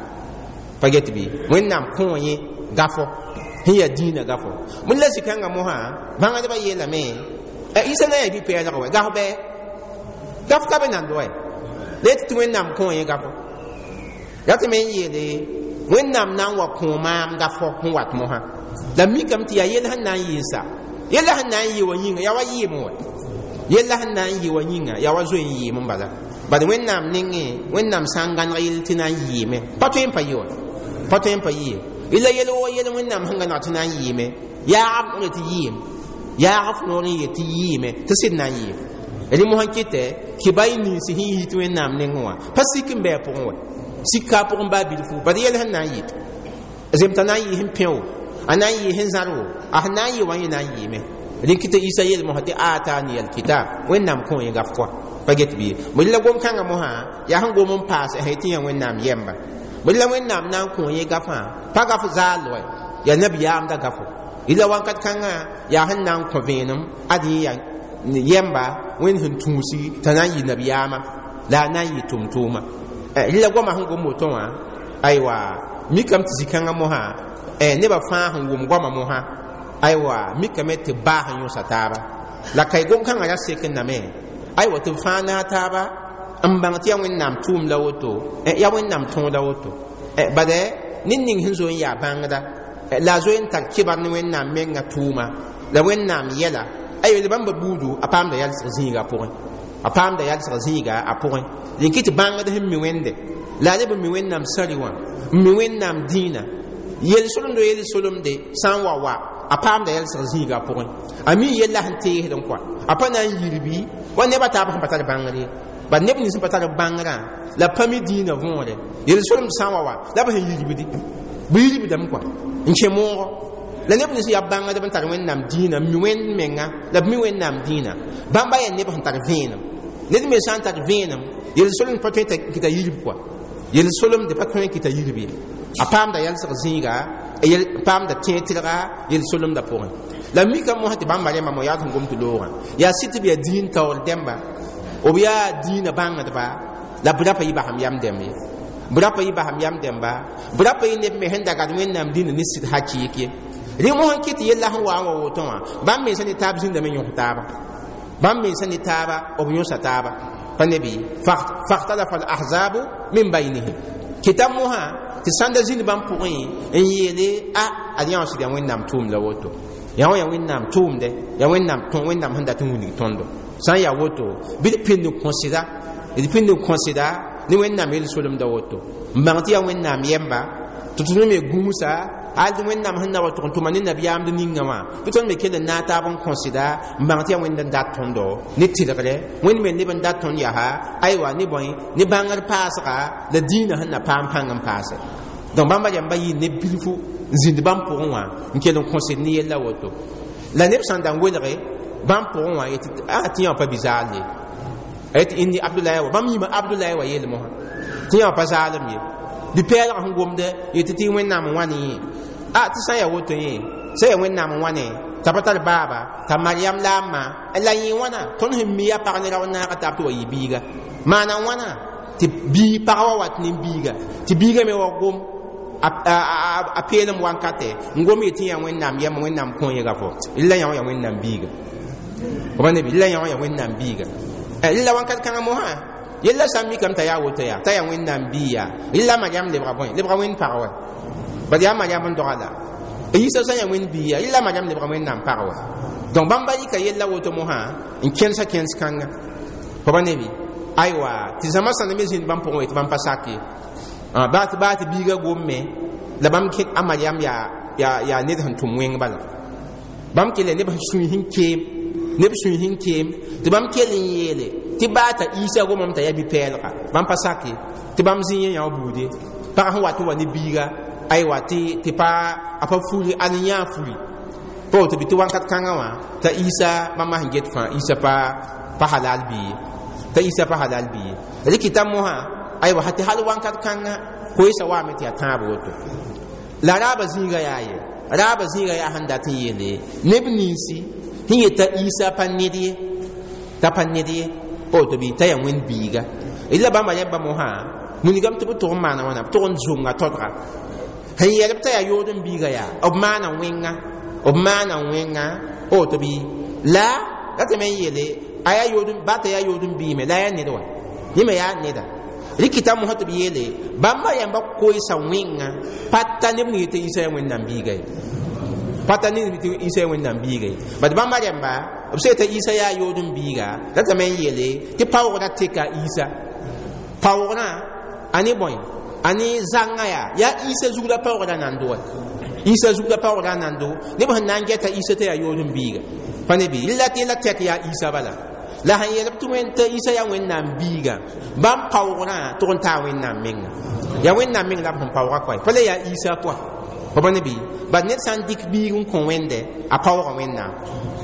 Pa get bɩ Wẽnnaam kõ yẽ gafo sẽn yaa dĩinã gafo bõe la zĩ-kãngã mosã bãngdbã yeelame Isa na yaa bi-pɛɛlg wɛ gaf bɩ gaf ka be nand wɛ la yetɩ tɩ Wẽnnaam kõ yẽ gafo ya tɩ me n yeele Wẽnnaam na n wa kõ maam gafo sẽn wat mosã la mikame tɩ yaa yell sẽn na n yɩɩ sa yella sẽn na n yɩ wa yĩnga yaa wa yɩɩm wɛ yella sẽn na n yɩ wa yĩnga yaa wa zoe n yɩɩm n bala bad Wẽnnaam nengẽ Wẽnnaam sã n gãneg yell tɩ na n yɩɩme pa tõe n pa yɩ wa pa tõe n pa yɩ ye yella yel wa yel Wẽnnaam sẽn gãneg tɩ na n yɩɩme yaagb noore tɩ yɩɩm yaagb noor n yet tɩ yɩɩme tɩ sɩd na n yɩɩm rẽ mosã kɩtɛ kɩba y ninsi sẽn yit Wẽnnaam nengẽ wã pa sik n bɩ a pʋgẽ wɛ sik ka a pʋgẽ baa bilfu bad yɛl sẽn na n yɩ zemta na n yɩ sẽn pẽ-wo a na n yɩ sẽn zãr wo a sẽn na n yɩ wã yẽ na n yɩɩme rẽ kɩtɛ Isa yel mosã tɩ aatani alkitab Wẽnnaam kõ yẽ gaf kɔa pa get bɩ bõe la gom-kãngã mosã yaa sẽn gom n paas sã tɩ yã Wẽnnaam yɛmba bõe la Wẽnnaam na n kõ yẽ gafã pa gaf zaal wɛ yaa nabiyaamda gafo yella wakat kãngã yaa sẽn na n kõ vẽenem ad yẽ yaa yɛmba Wẽnd sẽn tũusi t'a na n yɩ nabiyaamã la a na n yɩ tʋm-tʋʋma rẽla goamã sẽn gom woto wã aywa mikame tɩ zĩ-kãngã mosã nebã fãa sẽn wʋm goamã mosã aywa mikame tɩ baa sẽn yõsa taaba la ka gom-kãngã ra sek n name aywa tɩ b fãa naag taaba n bãng tɩ yaa Wẽnnaam tʋʋm la woto yaa Wẽnnaam tõog la woto bad ned ning sẽn zo n yaa bãngda la a zoe n tar kɩbar ne Wẽnnaam menga tʋʋma la Wẽnnaam yɛla aywa la bãmba buudu a paamda yalsg zĩiga pʋgẽ a paamda yalsg zĩiga a pʋgẽ rẽ kɩ tɩ bãngd sẽn mi Wẽnde la a leb n mi Wẽnnaam sari wã n mi Wẽnnaam dĩinã yel-solemdo yel-solemde sã n wa wa a paamda yalsg zĩiga pʋgẽ a mi yella sẽn teesd n kɔa a pa na n yirbi wa nebã taab sẽn pa tar bãngr ye bad neb nins sẽn pa tar bãngrã la pa mi dĩinã võore yel-solemd sã n wa wa la b sẽn yirbdi b yirbdame kɔa n kẽ moogo la neb nins yaa bãngdb n tar Wẽnnaam dĩinã n mi Wẽnd menga la b mi Wẽnnaam dĩinã bãmba yaa neb sẽn tar vẽenem ned me sã n tar vẽenem yel-solemd pa tõe n kɩta yirb kɔa yel-solemd pa tõe n kɩta yirb ye a paamda yalsg zĩiga paamda tẽeg-tɩrga yel-solemdã pʋgẽ la mika mosã tɩ bãmba rẽmba mo yaa sẽn gom tɩ loogã yaa sɩd tɩ b yaa dĩin taoor dẽmba b yaa dĩinã bãngdba la b ra pa yɩ basem yam dẽmb ye b ra pa yɩ basem yam dẽmba b ra pa yɩ neb me sẽn da gad Wẽnnaam dĩnã ne sɩd hakɩɩk ye rẽ mosã kɩ tɩ yella sẽn wa n wa woto wã bãmb mensã ne taab zĩndame yõs taaba bãmb mensã ne taaba b yõsa taaba pa ne bɩ fakhtalafa al ahzabu min baynihim kɩta mosã tɩ sãnda zĩnd bãmb pʋgẽ n yeele a ad yã wã sɩd yaa Wẽnnaam tʋʋm la woto yã wã yaa Wẽnnaam tʋʋmdɛ yaa Wẽnnaam Wẽnnaam sẽn dat n wilg tõndo sã n yaa woto bɩ d pĩnd n kõseda d pĩnd n kõseda ne Wẽnnaam yel-solemda woto n bãng tɩ yaa Wẽnnaam yɛmba tɩ tõnd me gũusa hal tɩ Wẽnnaam sẽn na wa tʋg n tʋma ne nabiyaamd ninga wã bɩ tõnd me kell n naag taab n kõseda n bãng tɩ yaa Wẽnd n dat tõndo ne tɩlgre Wẽnd me neb n dat tõnd yaa aywa ne bõe ne bãngr paasga la dĩinã sẽn na paam pãng n paase donc bãmba rãmba yɩ ne bilfu n zĩnd bãmb pʋgẽ wã n kell n kõsd ne yella woto la neb sãn da n welge bãmb pʋgẽ wã yetɩ a tɩ yã wã pa bi-zaal ye a yetɩ inni Abdulayi wa bãmb yĩma Abdulayi wa yeel mosã tɩ yã wã pa zaalem ye bi-pɛɛlgã sẽn gomdɛ yetɩ tɩ Wẽnnaam n wa ne yẽ a tɩ sã n yaa woto yẽ sã yaa Wẽnnaam n wa ne t'a pa tar baaba t'a Mariam la a ma la yẽ wãna tõnd sẽn mi yaa pag ne rao naaga taab tɩ wa yɩ biiga maana wãna tɩ bii pag wa wat ne biiga tɩ biiga me wa gom a peelem wankatɛ n gom yetɩ yaa Wẽnnaam yɛm Wẽnnaam kõ yẽga fo la yã wã yaa Wẽnnaam biiga b nebi la yã wã yaa Wẽnnaam biiga la wankat kãngã mosã yella sã n mikame t'a yaa woto yaa t'a yaa Wẽnnaam bii yaa la Mariam lebga bõe lebga Wẽnd pag wa bad yaa Mariam n doga la Yisa sã n yaa Wẽnd bii yaa la Mariam lebga Wẽnnaam pag wa donc bãmba yika yella woto mosã n kẽnsa kẽns kãnga fo ba nebi aywa tɩ zãma sãnd me zĩnd bãmb pʋgẽ wa tɩ bãmb pa sak ye baa tɩ biiga gomme la bãmb kẽ a Mariam yaa ned sẽn tʋm wẽng bala bãmb kell neb sũy sẽn keem neb sũy sẽn keem tɩ bãmb kell n yeele tɩ baa t'a Isa gomame t'a yaa bi-pɛɛlga bãmb pa sak ye tɩ bãmb zĩ yẽ yã wã buude pag sẽn wat n wa ne biiga aywa tɩ pa a pa furi a ne yãa furi pa woto bɩ tɩ wãnkat kãngã wã t'a Isa bãmba sẽn get fãa Isa pa halal bii ye t'a Isa pa halal bii ye rɩkɩta mosã aywa tɩ hal wãnkat kãngã koeesa waame tɩ yaa tãab woto la raaba zĩiga yaa ye raaba zĩiga yaa sẽn dat n yeele neb ninsi sẽn yeta Isa pa ned ye t'a pa ned ye pa woto bɩ t'a yaa Wẽnd biiga la bãmba rẽmba mosã wilgame tɩ b tʋg n maana wãna b tʋg n zʋnga todga sẽn yɛlb t'a yaa yood n biiga yaa b maana wẽnga b maana wẽnga pa woto bɩ la ratame n yeele a yaa yood ba t'a yaa yood n biime la a yaa ned wa yẽ me yaa neda rɩkɩta mosã tɩ b yeele bãmba yãmba koeesa wẽnga pa ta neb ning yetɩ Isa yaa Wẽnnaam biiga ye pa ta neb tɩ Isa yaa Wẽnnaam biiga ye bad bãmba rẽmba b sã yeta Isa yaa yood n biiga ratame n yeele tɩ paoogrã teka Isa paoogrã a ne bõe a ne zãngã yaa yaa Isa zug la paoogrã nando wa Isa zug la paoogrã nando neb sẽn na n gɛta Isa t'a yaa yood n biiga pa ne bɩ la tɩ la tɛk yaa Isa bala la sẽn yeelb tɩ wẽn t'a Isa yaa Wẽnnaam biiga bãmb paoogrã tʋg n taa Wẽnnaam menga yaa Wẽnnaam meng la b sẽn paooga koɛ pa la yaa Isa koa fo pa ne bɩ bad ned sã n dɩk biig n kõ Wẽnde a paooga Wẽnnaam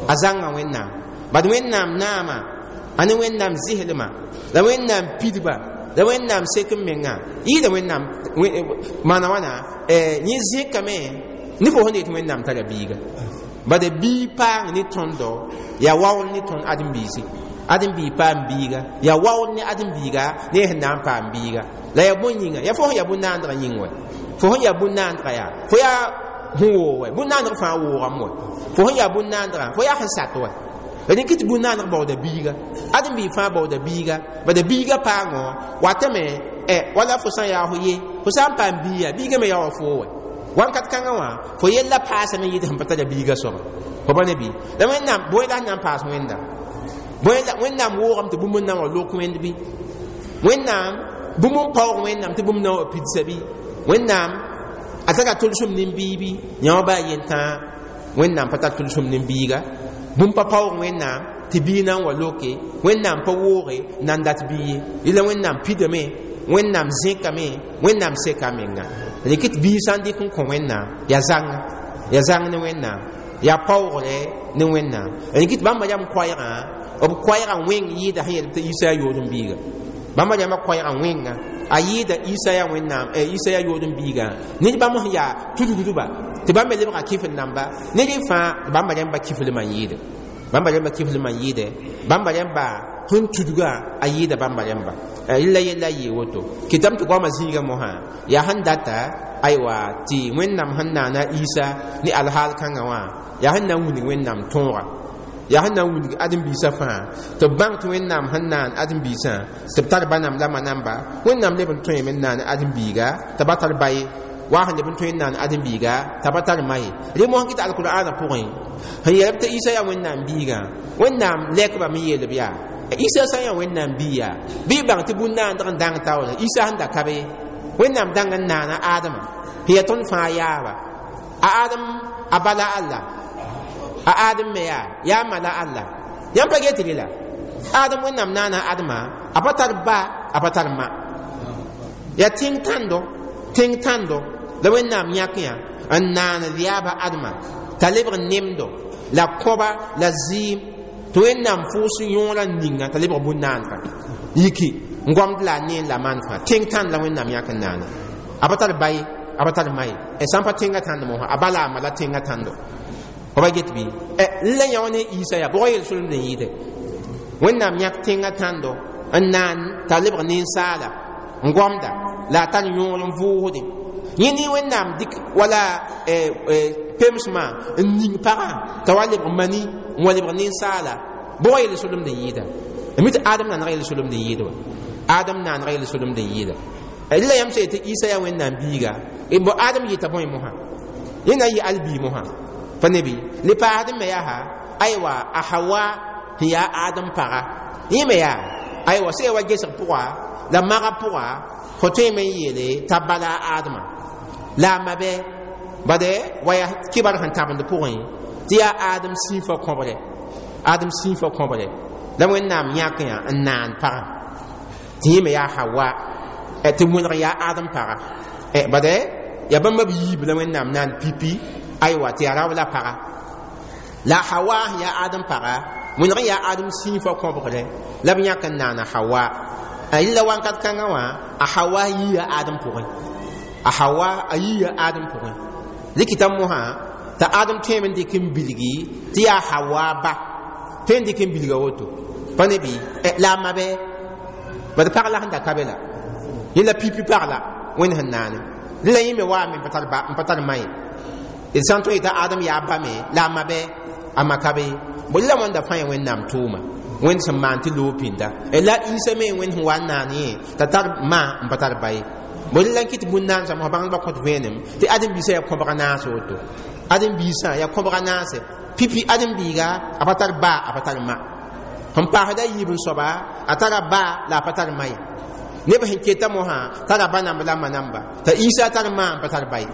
a zãnga Wẽnnaam bad Wẽnnaam naama a ne Wẽnnaam zɩslma la Wẽnnaam pidba la Wẽnnaam sek n menga yɩɩda Wẽnnaam maana wãna yẽ zẽkame ne fo sẽn yetɩ Wẽnnaam tara biiga bad bii paang ne tõndo yaa waool ne tõnd ãdem-biisi ãdem-biig paam biiga yaa waool ne ãdem-biiga ne sẽn na n paam biiga la yaa bõe yĩnga yaa fo sẽn yaa bũn-naandgã yĩng wɛ fo sẽn yaa bũn-naandgã yaa fo yaa sẽn woog wɛ bũn-naandg fãa woogame wɛ fo sẽn yaa bũn-naandgã fo yaa sẽn sat wɛ rẽk tɩ bũn-naandg baooda biiga ãdem-biig fãa baooda biiga bada biiga paangõ watame wala fo sã n yaa fo ye fo sã n paam biiga biiga me yaa wa foo wɛ wãnkat kãngã wã fo yella paasame n yɩɩd sẽn pa tara biiga soaba fo pa ne bɩ la Wẽnnaam bõe la sẽn na n paas Wẽnda bõe la Wẽnnaam woogame tɩ bũmb n na n wa lok Wẽnd bɩ Wẽnnaam bũmb n paoog Wẽnnaam tɩ bũmb na n wa pidsa bɩ Wẽnnaam a tara tʋlsem nin-biibi yã wã baa yentã Wẽnnaam pa tar tʋlsem nin-biiga bũmb pa paoog Wẽnnaam tɩ bii na n wa loke Wẽnnaam pa wooge na n dat bii ye yella Wẽnnaam pidame Wẽnnaam zẽkame Wẽnnaam seka menga rɩk tɩ bii sã n dɩk n kõ Wẽnnaam yaa zãnga yaa zãng ne Wẽnnaam yaa paoogre ne Wẽnnaam rɩk tɩ bãmba rãmb koɛɛgã b koɛɛgã wẽng yɩɩda sẽn yeel tɩ Isa yaa yood n biiga bãmba rãmbã koɛɛgã wẽnga a yɩɩda Isa yaa Wẽnnaam Isa yaa yood n biiga ned bãmb sẽn yaa tudgdba tɩ bãmb me lebga kɩf n namba ned fãa bãmba rãmba kiflmã n yɩɩde bãmba rãmba kiflmã n yɩɩde bãmba rãmba sẽn tudga a yɩɩda bãmba rãmba la yella yɩɩ woto kɩtame tɩ goamã zĩiga mosã yaa sẽn data aywa tɩ Wẽnnaam sẽn naana Isa ne alhaal kãngã wã yaa sẽn na n wilg Wẽnnaam tõoga yaa sẽn na n wilg ãdem-biisã fãa tɩ b bãng tɩ Wẽnnaam sẽn naan ãdem-biisã tɩ b tar ba nam la ma namba Wẽnnaam leb n tõeme n naan ãdem-biiga t'a ba tar ba ye Wa sẽn leb n tõe n naan ãdem-biiga t'a pa tar ma ye. Rẽ mosã kɩ tɩ alkur'aanã pʋgẽ sẽn yeelb tɩ Isa yaa Wẽnnaam biigã, Wẽnnaam lɛkbame n yeelb yaa Isa sã n yaa Wẽnnaam biiga, bɩ y bãng tɩ bũn-naandg n dãng taoore Isa sẽn da ka be. Wẽnnaam dãng n naana Adama sẽn yaa tõnd fãa yaaba. A Adem a bala Allah, a Adem me yaa ma la Allah. Yãmb pa get la Adem, Wẽnnaam naana Adema, a pa tar ba, a pa tar ma. Yaa tẽng tãndo, tẽng tãndo la Wẽnnaam yãk yã n naan yaaba Adema t'a lebg nemdo la kõba la zɩɩm, tɩ Wẽnnaam fʋʋs yõorã ninga t'a lebg bũn-naandga yiki n gomd la a neen la maan fãa. Tẽng tãnd la Wẽnnaam yãk n naana, a pa tar ba ye, a pa tar ma ye. Sã n pa tẽngã tãnd mosã, a ba la a ma la tẽngã tãndo. Fo pa get bɩ la yã wã ne Isa yaa bʋga yel-solemd n yɩɩde. Wẽnnaam yãk tẽngã tãndo n naan t'a lebg ninsaala n gomda la a tar yõor n vʋʋsdẽ. Yẽ ne Wẽnnaam dɩk wala pemsmã n ning pagã t'a wa lebg mani n wa lebg ninsaala, bʋga yel-solemd n yɩɩda. Mi tɩ Adem naanega yel-solemd n yɩɩd wa, Adem naanega yel-solemd n yɩɩda. La yãmb sã yetɩ Isa yaa Wẽnnaam biiga, bo Adem yɩta bõe mosã? Yẽ na n yɩ al-bii mosã pa ne bɩ le paasd me yaa aywa a Hawa sẽn yaa Adem paga, yẽ me yaa aywa sẽn ya wa gesg pʋga la maga pʋga, fo tõeme n yeele t'a bala a Adema la a ma bɛ bade wa yaa kibar sẽn tãbend pʋgẽ tɩ yaa Adem sĩifã kõbre, Adem sĩifã kõbre la Wẽnnaam yãk yã n naan pagã tɩ yẽ me yaa Hawa, tɩ wẽneg yaa Adem paga. Bade yaa bãmba b yiib la Wẽnnaam naan pipi aywa tɩ yaa rao la paga. La Hawa sẽn yaa Adem paga, wẽneg n yaa Adem sĩifã kõbgrẽ la b yãk n naana Hawa. La wãnkat kãngã wã a Hawa yiia Adem pʋgẽ, a Hawa a yiia Adem pʋgẽ. Rɩkɩta mosã t'a Adem tõeme n dɩk n bilgi tɩ yaa Hawa ba, tõe n dɩk n bilga woto pa ne bɩ la a ma bɛ bad pag la sẽn da ka be la yẽ la pipi pag la Wẽnd sẽn naane. La yẽ me waame n pa tar ma ye. D sã n tõe yetã Adem yaa ba me la a ma bɛ, a ma ka be. Bõe la wãnda fãa ya Wẽnnaam tʋʋma, Wẽnd sẽn maan tɩ loog pĩnda. La Isa me Wẽnd sẽn wa n naan yẽ t'a tar ma n pa tar ba ye. Bõe la n kɩt bũn-naansã mosã bãngdbã kõt vẽenem tɩ ãdem-biisã yaa kõbga naase woto. Ãdem-biisã yaa kõbga naase pipi ãdem-biiga a pa tar ba, a pa tar ma. Sẽn paasda yiib n soaba a tara ba la a pa tar ma ye. Neb sẽn keta mosã tara ba namba la ma namba t'a Isa tar ma n pa tar ba ye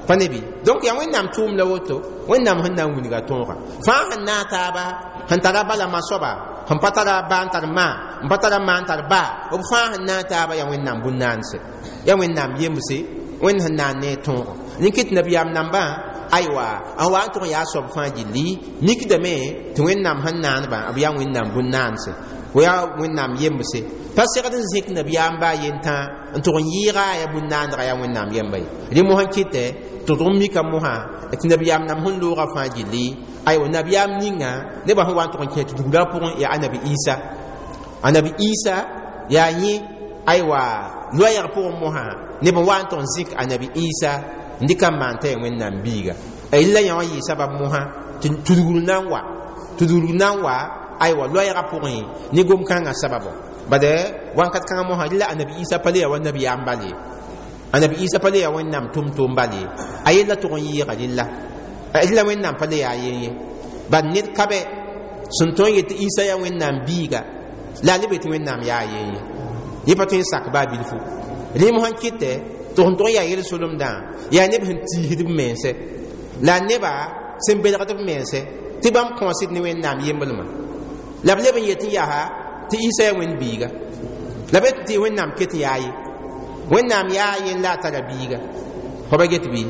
pa ne bɩ. Donc yaa Wẽnnaam tʋʋm la woto, Wẽnnaam sẽn na n wilga tõoga fãa sẽn naag taaba sẽn tara ba la ma soaba, sẽn pa tara ba n tar ma, n pa tara ma n tar ba, b fãa sẽn naag taaba yaa Wẽnnaam bũn-naanse, yaa Wẽnnaam yemse, Wẽnd sẽn naan ne tõogo. Rẽ kɩt nabiyaam nambã aywa n wa n tʋg n yaa soab fãa gilli mikdame tɩ Wẽnnaam sẽn naanbã b yaa Wẽnnaam bũn-naanse, b yaa Wẽnnaam yemse. Pa segd n zẽk nabiyaam baa yentã n tʋg n yɩɩga yaa bũn-naandga yaa Wẽnnaam yemba ye. Rẽ mosã kɩtɛ tɩ d mika mosã tɩ nabiyaam nam sẽn loogã fãa gilli aywa nabiyaam ninga nebã sẽn wa n tʋg n kẽ tɩ dugla pʋgẽ yaa Anabi Isa. Anabi Isa yaa yẽ aywa loɛɛg pʋgẽ mosã neb n wa n tʋg n zĩk Anabi Isa n dɩka n maan t'a yaa Wẽnnaam biiga. La yã wã yɩ sabab mosã tɩ tudgr na n wa, tudgr na n wa aywa loɛɛgã pʋgẽ ne gom-kãngã sababo. Bade wãnkat kãngã mosã rɩla Anabi Isa pa le yaa wa nabiyaam bal ye, Anabi Isa pa le yaa Wẽnnaam tʋm-tʋʋm bal ye, a yella tʋg n yɩɩga rɩlla, rɩla Wẽnnaam pa le yaa yen ye. Bad ned ka bɛ sẽn tõe n yet tɩ Isa yaa Wẽnnaam biiga la a le be tɩ Wẽnnaam yaa yen ye, yẽ pa tõe n sak baa bilfu. Rẽ mosã n kɩtɛ tɩ sẽn tʋg n yaa yel-solemdã yaa neb sẽn tiisd b mense la neba sẽn belgd b mense tɩ bãmb kõosd ne Wẽnnaam yemblmã la b leb n yet n yaa tɩ Isa yaa Wẽnd biiga, la b tɩ Wẽnnaam ket n yaa ye, Wẽnnaam yaa yen la a tara biiga. Fo pa get bɩ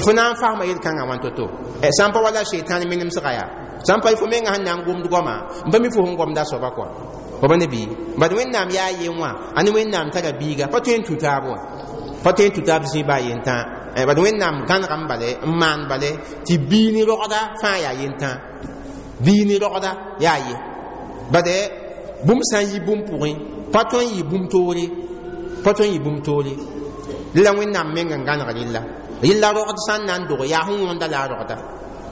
fo na n fasma yel-kãngã wãn to-to sã n pa wala shetãn menemsga yaa sã n pa fo menga sẽn na n gomd goama n pa mi fo sẽn gomda soaba kɔa fo pa ne bɩ bad Wẽnnaam yaa yen wã a ne Wẽnnaam tara biiga pa tõe n tũ taab wã, pa tõe n tũ taab zĩ baa yentã. Bad Wẽnnaam gãnegame bale n maan bale tɩ bii ne rogda fãa yaa yentã, bii ne rogda yaa ye. Bade bũmb sã n yi bũmb pʋgẽ pa tõe n yɩ bũmb toore, pa tõe n yɩ bũmb toore. La Wẽnnaam meng n gãneg rɩlla, rɩlla rogd sã n na n dog yaa sẽn wõnda la a rogda,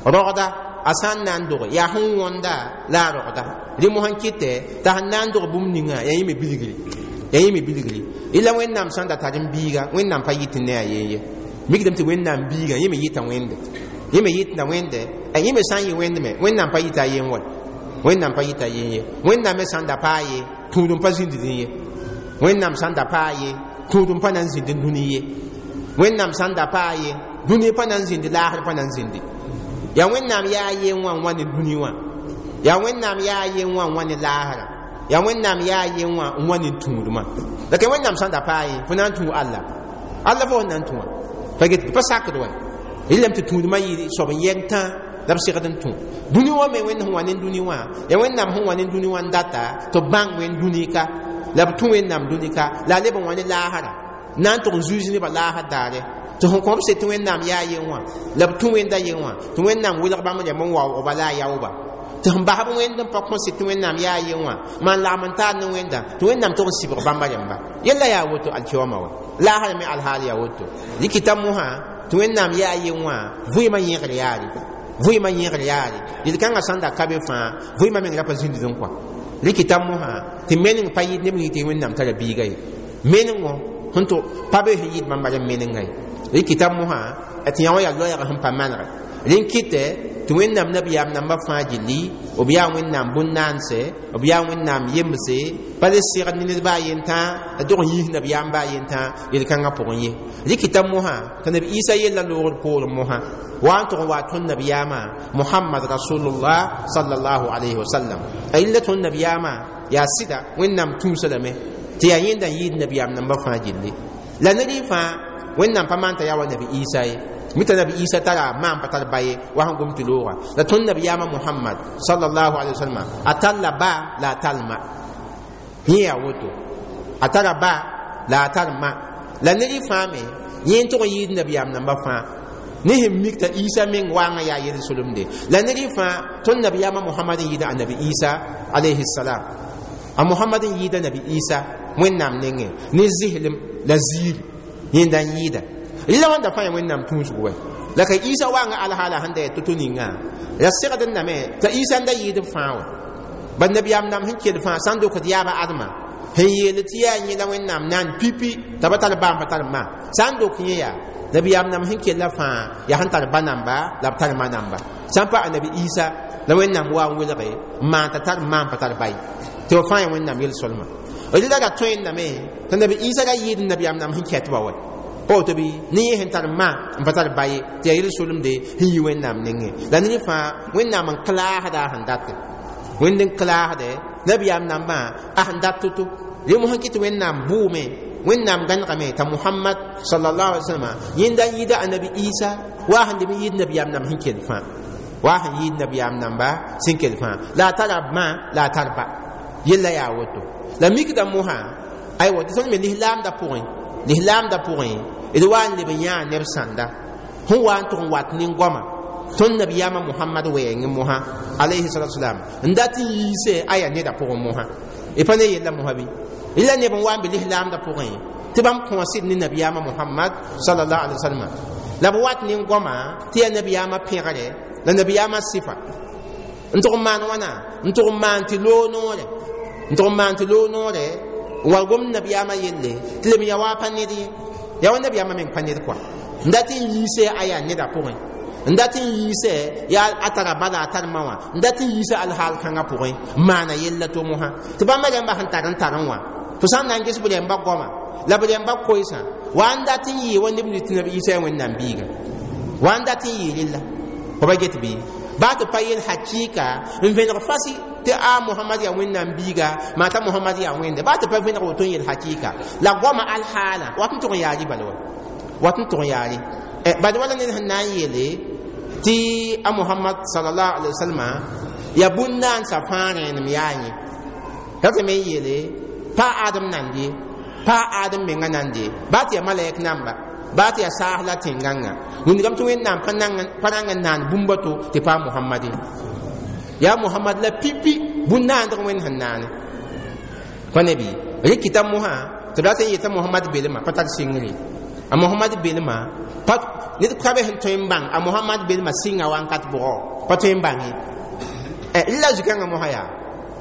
rogda a sã n na n dog yaa sẽn wõnda la a rogda. Rẽ mosã n kɩtɛ t'a sẽn na n dog bũmb ninga yaa yẽ me bilgri, yaa yẽ me bilgri. Rɩla Wẽnnaam sã n da tar n biiga, Wẽnnaam pa yɩt ne a yen ye. Mikdame tɩ Wẽnnaam biigã yẽ me yɩta Wẽnde, yẽ me yɩtda Wẽnde. Yẽ me sã n yɩ Wẽnd me, Wẽnnaam pa yɩta a yen wa, Wẽnnaam pa yɩta yen ye. Wẽnnaam me sã n da paa ye, tũud n pa zĩnd dĩ ye. Wẽnnaam sã n da paa ye, tũud n pa na n zĩnd n dũni ye. Wẽnnaam sã n da paa ye, dũni pa na n zĩndi, laasr pa na n zĩndi. Yaa Wẽnnaam yaa yen wã n wa ne dũni wã, yaa Wẽnnaam yaa yen wã n wa ne laasrã, yaa Wẽnnaam yaa yen wã n wa ne tũudmã. La ka Wẽnnaam sã n da paa ye, fo na n tũ Allah, Allah fo sẽn na n tũ wã pa get pa sakd wa. Rɩlame tɩ tũudmã yɩ soab n yɛng tã la b segd n tũ dũni wã me. Wẽnd sẽn wa ne dũni wã, yaa Wẽnnaam sẽn wa ne dũni wã n data tɩ b bãng Wẽnd dũni ka, la b tũ Wẽnnaam dũni ka, la a leb n wa ne laasra na n tʋg n zuiis nebã laasr daare. Tɩ sẽn kõ b se tɩ Wẽnnaam yaa yen wã, la b tũ Wẽnda yen wã, tɩ Wẽnnaam welg bãmb rẽmb n waoogba la a yaooba. Tɩ sẽn bas b Wẽnd n pa kõ se tɩ Wẽnnaam yaa yen wã, maan lagm n taar ne Wẽnda, tɩ Wẽnnaam tʋg n sɩbg bãmba rẽmba. Yella yaa woto alkiyooma wa, laasra me alhaal yaa woto. Rɩkɩta mosã tɩ Wẽnnaam yaa yen wã, vɩɩmã yẽgr yaare, vɩɩmã yẽgr yaare. Yel-kãngã sã n da ka be fãa, vɩɩmã meng ra pa zĩnd n kɔa. Rɩkɩta mosã tɩ meneng pa yɩɩd neb yɩ tɩ Wẽnnaam tara biiga ye. Menengo sẽn tʋ pa be sẽn yɩɩd bãmba rẽmb menenga ye. Rɩkɩta mosã tɩ yã wã yaa loɛɛg sẽn pa manegɛ. Rẽn kɩtɛ tɩ Wẽnnaam nabiyaam nambã fãa gilli, b yaa Wẽnnaam bũn-naanse, b yaa Wẽnnaam yemse, pa le segd ne ned baa yentã, la tog n yiis nabiyaam baa yentã yel-kãngã pʋgẽ ye. Rɩkɩta mosã tɩ nabi Isa yella loogr poorẽ mosã wa n tʋg n wa tõnd nabiyaamã Mohamad rasulullah sallallahu alayhi wa sallam. A yella tõnd nabiyaamã yaa sɩda Wẽnnaam tũusa lame tɩ yaa yẽnda n yɩɩd nabiyaam nambã fãa gilli. La ned y fãa Wẽnnaam pa maan t'a yaa wa nabi Isa ye. Mita nabi Isa tara maan pa tar ba ye wa sẽn gom tɩ looga. La tõnd nabiyaamã Mohamad sallallahu alayhi wa sallam a tall la ba la a tall ma. Yẽ yaa woto, a tara ba la a tar ma. La ned y fãa me yẽ n tʋg n yɩɩd nabiyaam nambã fãa ne sẽn mik t'a Isa meng waangã yaa yel-solemde. La ned y fãa tõnd nabiyaamã Mohamad n yɩɩda a nabi Isa alayhi salam. A Mohamad n yɩɩda nabi Isa Wẽnnaam nengẽ ne zɩslem la ziiri yẽnda n yɩɩda. Rɩla wãnda fãa yaa Wẽnnaam tũusg wɛ. La ka Isa waangã alhaala sẽn da yaa to-to ninga la segd n name t'a Isa n da yɩɩd b fãa wã. Bad nabiyaam nam sẽn kell fãa sã n dokd yaaba Adma sẽn yeel tɩ yaa yẽ la Wẽnnaam naan pipi t'a pa tar ba n pa tar ma, sã n dok yẽ yaa nabiyaam nam sẽn kella fãa yaa sẽn tar ba namba la b tar ma namba. Sã n pa a nabi Isa la Wẽnnaam wa n welge n maan t'a tar ma n pa tar ba ye, tɩ b fãa yaa Wẽnnaam yel-solma. Rɩla ra tõendame t'a nabi Isa ra yɩɩd nabiyaam nam sẽn kɛt ba wɛ pa woto bɩ ne yẽ sẽn tar ma n pa tar ba ye, tɩ yaa yel-solemde sẽn yi Wẽnnaam nengẽ. La ned fãa Wẽnnaam n klaasda a sẽn date, Wẽnd n klaasdɛ nabiyaam nambã a sẽn dat to-to. Rẽ mosã kɩ tɩ Wẽnnaam bʋʋme, Wẽnnaam gãnegame t'a Mohamad sallallahu alaihi wasallam yẽnda n yɩɩda a nabi Isa wa sẽn leb n yɩɩd nabiyaam namb sẽn kell fãa, wa sẽn yɩɩd nabiyaam namba sẽn kell fãa, la a tara ma la a tar ba. Yella yaa woto. La mikda mosã aywa tɩ tõnd me lislaamda pʋgẽ, lislaamda pʋgẽ d wa n leb n yãa neb sãnda sẽn wa n tʋg n wat nin-goama tõnd nabiyaamã Mohamad wɛɛngẽ mosã alayhi salatu wasalam n dat n yiise a yaa neda pʋgẽ mosã. Y pa ne yella mosã bɩ rɩla neb n wa n be lislaamda pʋgẽ tɩ bãmb kõo sɩd ne nabiyaamã Mohamad sallallahu alaihi wasallam, la b wat nin-goama tɩ yaa nabiyaamã pẽgre la nabiyaamã sɩfa n tʋg n maan wãna, n tʋg n maan tɩ loog noore, n tʋg n maan tɩ loog noore n wa gom nabiyaamã yelle tɩ leb n yaa wa pa ned ye, yaa wa nabiyaamã meng pa ned kɔa n dat n yiise a yaa neda pʋgẽ, n dat n yiise yaa a tara ba la a tar ma wã, n dat n yiise alhaal kãngã pʋgẽ n maana yella to mosã. Tɩ bãmba rẽmba sẽn tar n tar n wã, fo sã n na n ges b rẽmba goama la b rẽmba koeesã wa n dat n yɩɩ wa neb tɩ nabi Isa yaa Wẽnnaam biiga, wa n dat n yɩɩ rella. Fo pa get bɩ baa tɩ pa yel hakɩɩka n vẽneg fasi tɩ a Mohamad yaa Wẽnnaam biiga, maa t'a Mohamad yaa Wẽnde, baa tɩ pa vẽneg woto n yel hakɩɩka la goama alhaala wat n tʋg n yaa rɩ bala wa, wat n tʋg n yaa rɩ. Bad wala ned sẽn na n yeele tɩ a Mohamad sallallahu alaihi wasallam yaa bũn-naansa fãa rẽenem yaa yẽ, ratame n yeele pa Adem nand ye, pa Adem menga nand ye, baa tɩ yaa malɛk namba, baa tɩ yaa saas la tẽn-gãngã wĩndgame tɩ Wẽnnaam pa rãng n naan bũmba to tɩ paa Mohamad ye. Yaa Mohamad la pipi bũn-naandg Wẽnd sẽn naane pa ne bɩ rɩkɩta mosã tɩ b rat n yeta Mohamad belmã pa tar sɩngre. A Mohamad belmã pa ned ka be sẽn tõe n bãng a Mohamad belmã sɩnga wãnkat bʋgɔ pa tõe n bãng ye. La zu-kãngã mosã yaa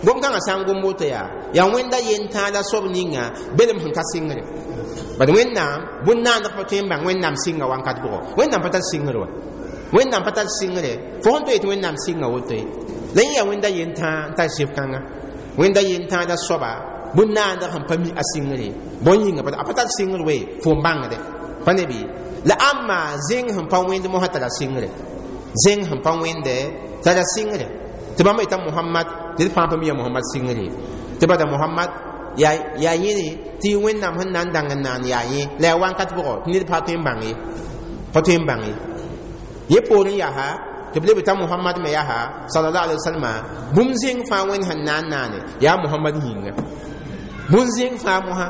gom-kãngã sã n gom woto yaa yaa Wẽnda yentãa la soab ninga belem sẽn ka sɩngre. Bad Wẽnnaam bũn-naandg pa tõe n bãng Wẽnnaam sɩnga wãnkat bʋgɔ. Wẽnnaam pa tar sɩngr wa, Wẽnnaam pa tar sɩngre. Fo sẽn tõe tɩ Wẽnnaam sɩnga woto ye. La yẽ yaa Wẽnda yentãa n tar sɩf kãnga, Wẽnda yentãa la soaba bũn-naandg sẽn pa mi a sɩngre bõn yĩnga a pa tar sɩngr we fo n bãngde pa ne bɩ. La ãmma zẽng sẽn pa wẽnd mosã tara sɩngre, zẽng sẽn pa wẽnde tara sɩngre. Tɩ bãmb yeta Mohamad, ned fãa pa mi ya Mohamad sɩngre ye. Tɩ bada Mohamad yaa yẽne tɩ Wẽnnaam sẽn na n dãng n naan yaa yẽ la yaa wãnkat bʋgɔ tɩ ned pa tõe n bãng ye, pa tõe n bãng ye. Yẽ poorẽ yaa tɩ b leb t'a Mohamad me yaa sallallahu alaihi wasallam bũmb zẽng fãa Wẽnd sẽn na n naane yaa Mohamad yĩnga. Bũmb zẽng fãa mosã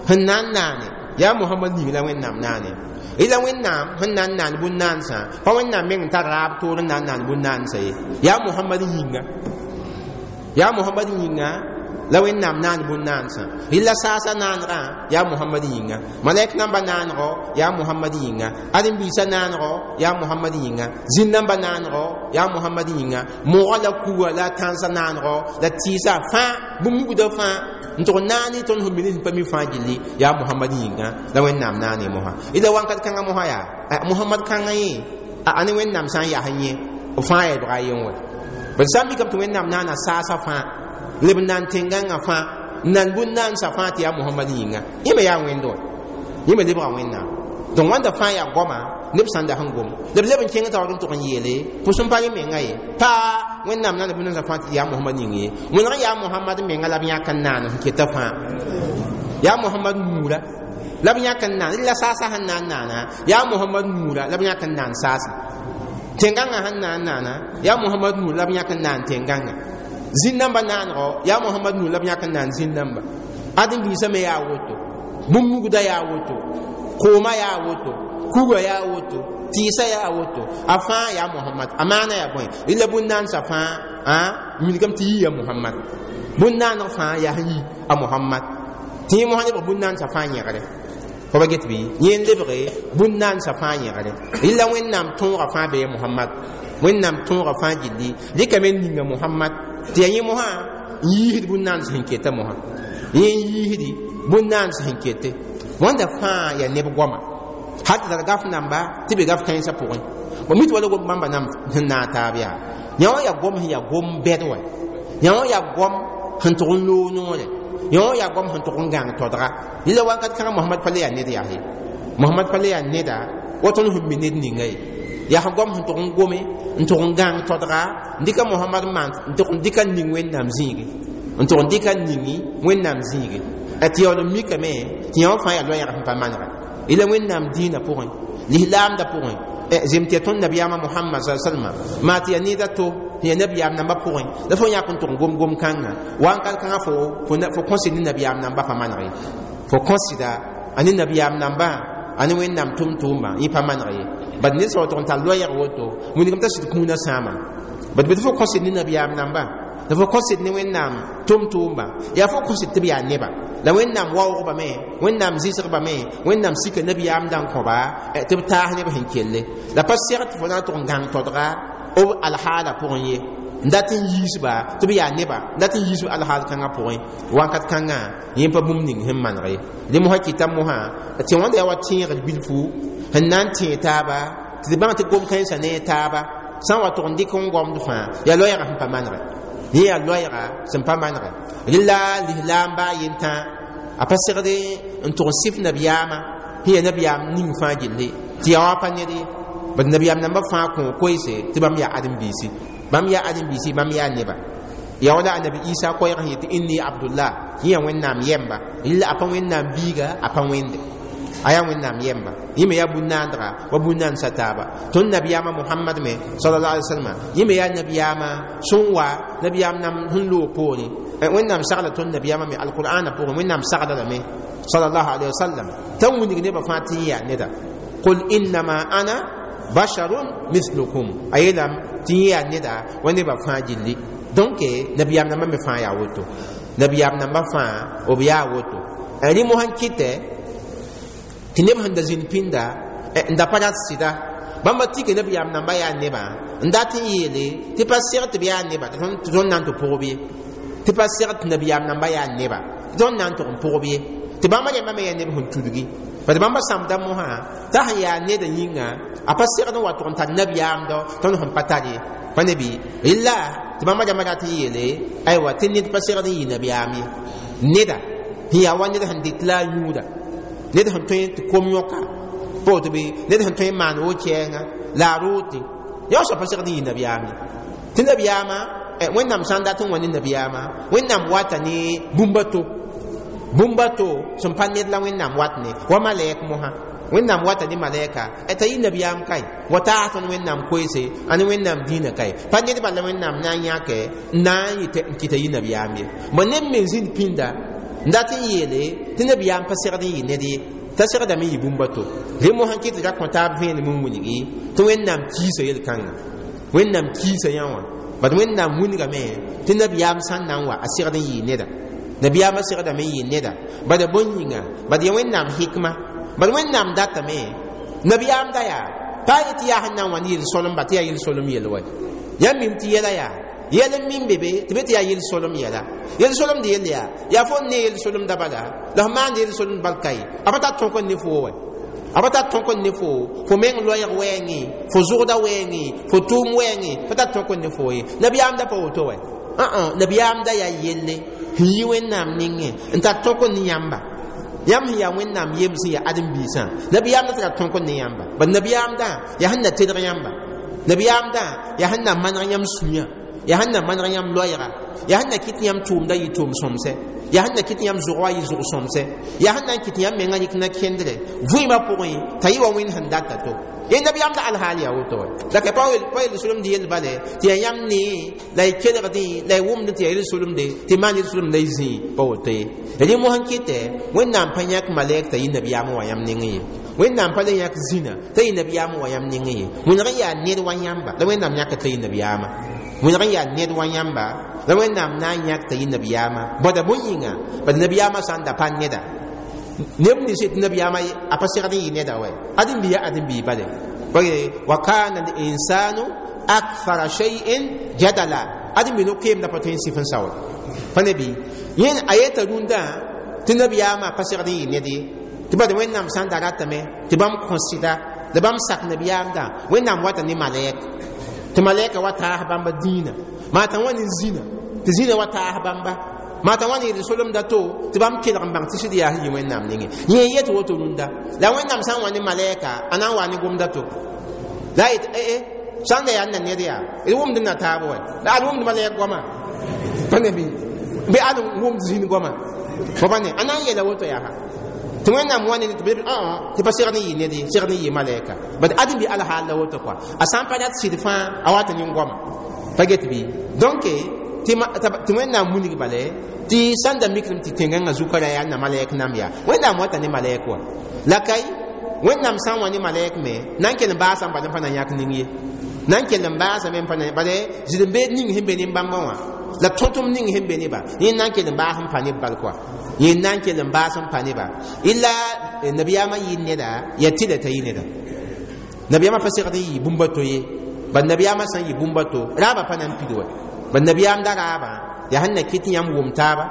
sẽn na n naane yaa Mohamad yĩng la Wẽnnaam naane. Ila Wẽnnaam sẽn na n naan bũn-naansã pa Wẽnnaam meng n tar raab toor n na n naan bũn-naansã ye, yaa Mohamad yĩnga, yaa Mohamad yĩnga la Wẽnnaam naan bũn-naansã. Rɩla saasa naanegã yaa Mohamad yĩnga, malɛk namba naanego yaa Mohamad yĩnga, ãdem-biisã naanego yaa Mohamad yĩnga, zĩn namba naanego yaa Mohamad yĩnga, mogã la kuga la tãnsã naanego la tɩɩsã fãa bũmb-mugdã fãa n tʋg naane tõnd sẽn mi ne sẽn pa mi fãa gilli yaa Mohamad yĩnga la Wẽnnaam naane mosã. Ila wãnkat kãngã mosã yaa Mohamad kãngã yẽ a ne Wẽnnaam sã n yaa yẽ b fãa yaa bga yen wa. Bad sã n mikame tɩ Wẽnnaam naana saasã fãa leb n naan tẽn-gãngã fãa n naan bũn-naansã fãa tɩ yaa Mohamad yĩnga, yẽ me yaa Wẽnd wa, yẽ me lebga Wẽnnaam. Donc wãnda fãa yaa goama neb sãn da sẽn gom la b leb n kẽng taoor n tʋg n yeele pʋs n pa yẽ menga ye pa Wẽnnaam naana bũn-naansã fãa tɩ yaa Mohamad yĩng ye. Wẽneg yaa Mohamad menga la b yãk n naan sẽn keta fãa, yaa Mohamad nuura la b yãk n naan la saasã sẽn na n naana, yaa Mohamad nuura la b yãk n naan saasã. Tẽn-gãngã sẽn na n naana yaa Mohamad nuura la b yãk n naan tẽn-gãngã. Zĩn namba naanego yaa Mohamad nuura la b yãk n naan zĩn namba. Ãdem-biisã me yaa woto, bũmb-mugdã yaa woto, kooma yaa woto, kuga yaa woto, tɩɩsã yaa woto, a fãa yaa Mohamad. A maana yaa bõe? Rɩla bũn-naansã fãa wilgame tɩ yii ya Mohamad, bũn-naaneg fãa yaa sẽn yi a Mohamad. Tɩ yẽ mosã lebg bũn-naansã fãa yẽgre. Fo pa get bɩ? Yẽ n lebge bũn-naansã fãa yẽgre. Rɩla Wẽnnaam tõogã fãa bee Mohamad, Wẽnnaam tõogã fãa gilli rɩkame n ninga Mohamad tɩ yaa yẽ mosã n yiisd bũn-naans sẽn keta mosã, yẽ n yiisdi bũn-naans sẽn kete. Wãnda fãa yaa neb goama hal tɩ tar gaf namba tɩ be gaf kãensã pʋgẽ. Ba mi tɩ wala gom bãmba nam sẽn naag taab yaa yã wã yaa gom sẽn yaa gom bɛd wɛ, yã wã yaa gom sẽn tʋg n loog noore, yã wã yaa gom sẽn tʋg n gãng todga. Rɩla wakat kãngã Mohamad pa le yaa ned yaa ye, Mohamad pa le yaa neda wa tõnd sẽn mi ned ninga ye. Yaa sẽn gom sẽn tʋg n gome n tʋg n gãng todga n dɩka Mohamad maan n tʋg n dɩka n ning Wẽnnaam zĩige, n tʋg n dɩka n ningi Wẽnnaam zĩige. Tɩ yaool n mikame tɩ yã wã fãa yaa loɛɛg sẽn pa manega. Ila Wẽnnaam dĩinã pʋgẽ, lislaamdã pʋgẽ, zem tɩ yaa tõnd nabiyaamã Mohamad sa salma maa tɩ yaa ned a to tɩ yaa nabiyaam nambã pʋgẽ la fo yãk n tʋg n gom gom-kãngã wãnkat kãngã fo kõsɩd ne nabiyaam nambã pa maneg ye. Fo kõsɩda a ne nabiyaam nambã a ne Wẽnnaam tʋm-tʋʋmbã yẽ pa maneg ye. Bad ned sã wa tʋg n tar loɛɛg woto wilgame t'a sɩd kũunã sãama. Bad bɩ tɩ fo kõsɩd ne nabiyaam nambã la fo kõsɩd ne Wẽnnaam tʋm-tʋʋmbã yaa fo kõsɩd tɩ b yaa neba la Wẽnnaam waoogba me, Wẽnnaam zɩsgba me, Wẽnnaam sika nabiyaam dã n kõba tɩ b taas neb sẽn kelle. La pa seg tɩ fo na n tʋg n gãng todga b alhaala pʋgẽ ye n dat n yiisba tɩ b yaa neba, n dat n yiisb alhaal kãngã pʋgẽ wãnkat kãngã yẽ pa bũmb ning sẽn maneg ye. Dẽ mosã kɩta mosã tɩ wãnda yaa wa tẽegr bilfu sẽn na n tẽeg taaba tɩ d bãng tɩ gom-kãensã ne taaba sã n wa tʋg n dɩk n gomd fãa yaa loɛɛgã sẽn pa manege, yẽ yaa loɛɛga sẽn pa manege. Rɩla lislaam baa yentã a pa segd n tʋg n sɩf nabiyaamã sẽn yaa nabiyaam ning fãa gilli tɩ yaa wa pa ned ye. Bad nabiyaam nambã fãa kõ koeese tɩ bãmb yaa ãdem-biisi, bãmb yaa ãdem-biisi, bãmb yaa neba. Yaa wala annabi Isa koɛɛg sẽn yetɩ inni Abdullah, yẽ yaa Wẽnnaam yɛmba. Rɩla a pa Wẽnnaam biiga, a pa Wẽnde, a yaa Wẽnnaam yɛmba. Yẽ me yaa bũn-naandga wa bũn-naansã taaba. Tõnd nabiyaamã Mohamad me sallallahu alaihi wasallam yẽ me yaa nabiyaamã sẽn wa nabiyaam nam sẽn loog poorẽ. Wẽnnaam sagla tõnd nabiyaamã me alqur'ana pʋgẽ, Wẽnnaam sagla lame sallallahu alaihi wasallam t'a wilg nebã fãa tɩ yẽ yaa neda. Qul innama ana basharun mithlukum, a yeelame tɩ yẽ yaa neda wa nebã fãa gilli. Donc nabiyaam nambã me fãa yaa woto, nabiyaam nambã fãa b yaa woto. Rẽ mosã n kɩtɛ tɩ neb sẽn da zĩnd pĩnda n da pa rat sɩda bãmba tɩka nabiyaam nambã yaa nebã n dat n yeele tɩ pa seg tɩ b yaa neba tɩ tõnd na n tɩ pʋgb ye, tɩ pa seg tɩ nabiyaam nambã yaa neba tɩ tõnd na n tʋg n pʋgb ye, tɩ bãmba rẽmbã me yaa neb sẽn tudgi. Bad bãmba sãmbda mosã t'a sẽn yaa neda yĩnga a pa segd n wa tʋg n tar nabiyaamdɔ tõnd sẽn pa tar ye pa ne bɩ rɩla tɩ bãmba rãmbã rat n yeele aywa tɩ ned pa segd n yɩ nabiyaam ye neda sẽn yaa wa ned sẽn dɩt la a yũuda ned sẽn tõe tɩ kom yõka pa woto bɩ ned sẽn tõe n maan wo-kɛɛngã la a rootẽ yã soab pa segd n yɩ nabiyaam ye tɩ nabiyaamã Wẽnnaam sã n dat n wa ne nabiyaamã Wẽnnaam wata ne bũmb a to bũmb a to sẽn pa ned la Wẽnnaam wat ne wa malɛk mosã Wẽnnaam wata ne malɛka t'a yɩ nabiyaam kae wa taas tõnd Wẽnnaam koeese a ne Wẽnnaam dĩinã kae pa ned bala Wẽnnaam na n yãke n na n n kɩta yɩ nabiyaam ye bõ neb me zĩnd pĩnda n dat n yeele tɩ nabiyaam pa segd n yɩ ned ye t'a segdame n yɩ bũmb a to rẽ mosã kɩ tɩ ra kõ taab vẽenem n wilgi tɩ Wẽnnaam kiisa yel-kãnga Wẽnnaam kiisa yã wã bad Wẽnnaam wilgame tɩ nabiyaam sã n na n wa a segd n yɩ neda nabiyaamã segdame n yɩ neda bad bõn yĩnga bad ya Wẽnnaam hikma bad Wẽnnaam datame nabiyaam da yaa pa yetɩ yaa sẽn na n wa ne yel-solem ba tɩ yaa yel-solem yel wa yãmb mim tɩ yɛla yaa yɛl n min be be tɩ be tɩ yaa yel-solem yɛla yel-solemd yell yaa yaa fo n ne yel-solemda bala la f maand yel-solemd bal kaye a pa tar tõk n ne foo wa a pa tar tõk n ne foo fo meng loɛɛg wɛɛngẽ fo zʋgda wɛɛngẽ fo tʋʋm wɛɛngẽ pa tar tõk n ne foo ye nabiyaam da pa woto wa nabiyaam da yaa yelle sẽn yi Wẽnnaam nengẽ n tar tõk n ne yãmba yãmb sẽn yaa Wẽnnaam yem sẽn yaa ãdem-biisã nabiyaam da tara tõk n ne yãmba bad nabiyaamdã yaa sẽn na tedg yãmba nabiyaamdã yaa sẽn na maneg yãmb sũyã yaa sẽn na maneg yãmb loɛɛga yaa sẽn na kɩt yãmb tʋʋmda yɩ tʋʋm sõmsɛ yaa sẽn na kɩt yãmb zʋg wa yɩ zʋg sõmsɛ yaa sẽn na n kɩt yãmb mengã yik na kẽndrɛ vɩɩmã pʋgẽ t'a yɩ wa Wẽnd sẽn data to yẽ nabiyaamda alhaal yaa woto wa la ka pa yel-solemd yell bale tɩ yaa yãmb nee la y kelgdẽ la y wʋmdẽ tɩ yaa yel-solemde tɩ maan yel-solemd la y zĩi pa woto ye rẽ mosã kɩtɛ Wẽnnaam pa yãk malɛk t'a yɩ nabiyaam wa yãmb nengẽ ye Wẽnnaam pa le yãk zĩna t'a yɩ nabiyaam wa yãmb nengẽ ye wẽneg n yaa ned wa yãmba la Wẽnnaam yãk t'a yɩ nabiyaamã wẽneg n yaa ned wa yãmba la Wẽnnaam na n yãk t'a yɩ nabiyaamã bada bõn yĩnga bad nabiyaamã sã n da pa neda neb nins tɩ nabiyaamã a pa segd n yɩ neda wa ãdem-bi yaa ãdem-bi bale wa kana linsanu akthara shay'in jadala ãdem-bi no-keemda pa tõe n sɩf n sao pa ne bɩ yẽ a yeta rũndã tɩ nabiyaamã pa segd n yɩ ned ye tɩ bad Wẽnnaam sã n da ratame tɩ bãmb kõ sɩda la bãmb sak nabiyaamdã Wẽnnaam wata ne malɛk tɩ malɛka wa taas bãmba dĩinã maa t'a wa ne zĩna tɩ zĩna wa taas bãmba maa t'a wa ne yel-solemda to tɩ bãmb kelg n bãng tɩ sɩd yaa sẽn yɩ Wẽnnaam nengẽ yẽ yet woto rũndã la Wẽnnaam sã n wa ne malɛka a na n wa ne gomda to la a yet ee sã n da yaa n na ned yaa d wʋmd n na taab wa la ad wʋmd malɛk goama pa ne bɩ ad wʋmd zĩn goama fo pa ne a na n yeela woto yaa tɩ Wẽnnaam wa ne tɩ tɩ pa segd n yɩ ned ye segd n yɩ malɛka bad ãdem bɩ alhaal la woto kɔa a sã n pa rat sɩd fãa a wat nin goama pa get bɩ donc tɩ Wẽnnaam wilg bale tɩ sã n da mikdame tɩ tẽngãngã zukã ra yaa n na malɛk nam yaa Wẽnnaam wata ne malɛk wa la kay Wẽnnaam sã n wa ne malɛk me na n kell n baasame bala n pa na yãk ning ye na n kell n baasame n pa na bale zɩd-n-beed ning sẽn be ne bãmbã wã la tõtʋm ning sẽn be neba yẽ na n kell n baas n pa neb bal kɔa yẽ na n kell n baas n pa neba illa nabiyaamã yɩ neda yaa tɩla t'a yɩ neda nabiyaamã pa segd n yɩ bũmb a to ye bad nabiyaamã sã n yɩ bũmb a to raabã pa na n pid wa bad nabiyaam da raabã yaa sẽn na kɩt yãmb wʋm taaba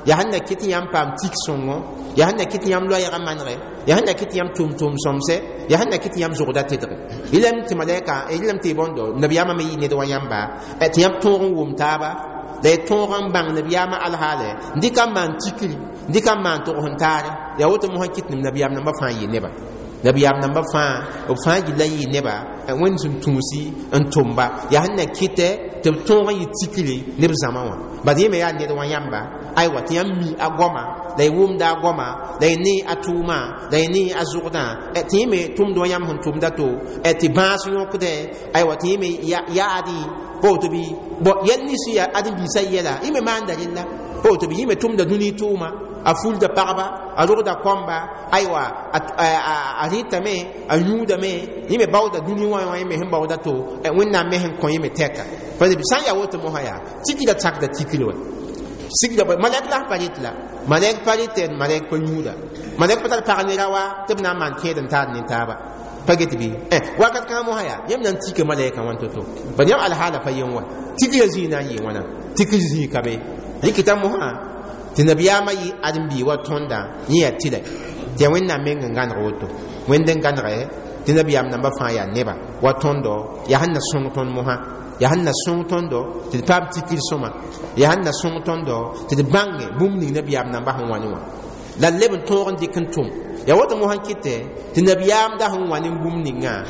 yaa sẽn na kɩt yãmb paam tik sõngo yaa sẽn na kɩt yãmb loɛɛgã manegɛ yaa sẽn na kɩt yãmb tʋʋm-tʋʋm sõmsɛ yaa sẽn na kɩt yãmb zʋgda tedge rɩlame tɩ malɛka rɩlame tɩ bõndo nabiyaamã me yɩ ned wa yãmba tɩ yãmb tõog n wʋm taaba la y tõog n bãng nabiyaamã alhaale n dɩka n maan tikri n dɩka n maan tʋgs n taare yaa woto mosã kɩt nem nabiyaam nambã fãa yɩ neba nabiyaam nambã fãa b fãa gilla n yɩ neba Wẽnd sẽn tũusi n tʋmba yaa sẽn na kɩtɛ tɩ b tõog n yɩ tikri ne b zãma wã bad yẽ me yaa ned wã yãmba aywa tɩ yãmb mi a goama la y wʋmda a goama la y ne a tʋʋma la y ne a zʋgdã tɩ yẽ me tʋmd wã yãmb sẽn tʋmda to tɩ bãas yõkdɛ aywa tɩ yẽ me yaadẽ pa woto bɩ bõ yɛl nins yaa ãdem-biisã yɛla yẽ me maanda rella pa woto bɩ yẽ me tʋmda dũni tʋʋma a fulda pagba a rogda kɔmba aywa a rɩtame a yũudame yẽ me baooda dũni wã wã yẽ me sẽn baooda to Wẽnnaam me sẽn kõ yẽ me tɛka pa sã n yaa woto mosã yaa tikra sakda tikri wa sigda malɛk la pa rɩt la malɛk pa rɩtɛ malɛk pa yũuda malɛk pa tar pag ne ra wa tɩ b na n maan kẽed n taad ne taaba pa get bɩ wakat kãngã mosã yaa yãmb na n tika malɛkã wãn to-to bad yãmb alhaala pa yen wa tikra zĩig na n yɩ wãna tikr zĩig ka be rɩkɩta mosã tɩ nabiyaamã yɩ ãdem-bii wa tõndã yẽ yaa tɩlɛ Tɩ yaa Wẽnnaam meng n gãneg woto. Wẽnd n gãnege tɩ nabiyaam nambã fãa yaa neba wa tõndo, yaa sẽn na sõng tõnd mosã, yaa sẽn na sõng tõndo tɩ d paam tikr sõma, yaa sẽn na sõng tõndo tɩ d bãnge bũmb ning nabiyaam nambã sẽn wa ne wã, la d leb n tõog n dɩk n tʋm. Yaa woto mosã n kɩtɛ tɩ nabiyaam da sẽn wa ne bũmb ningã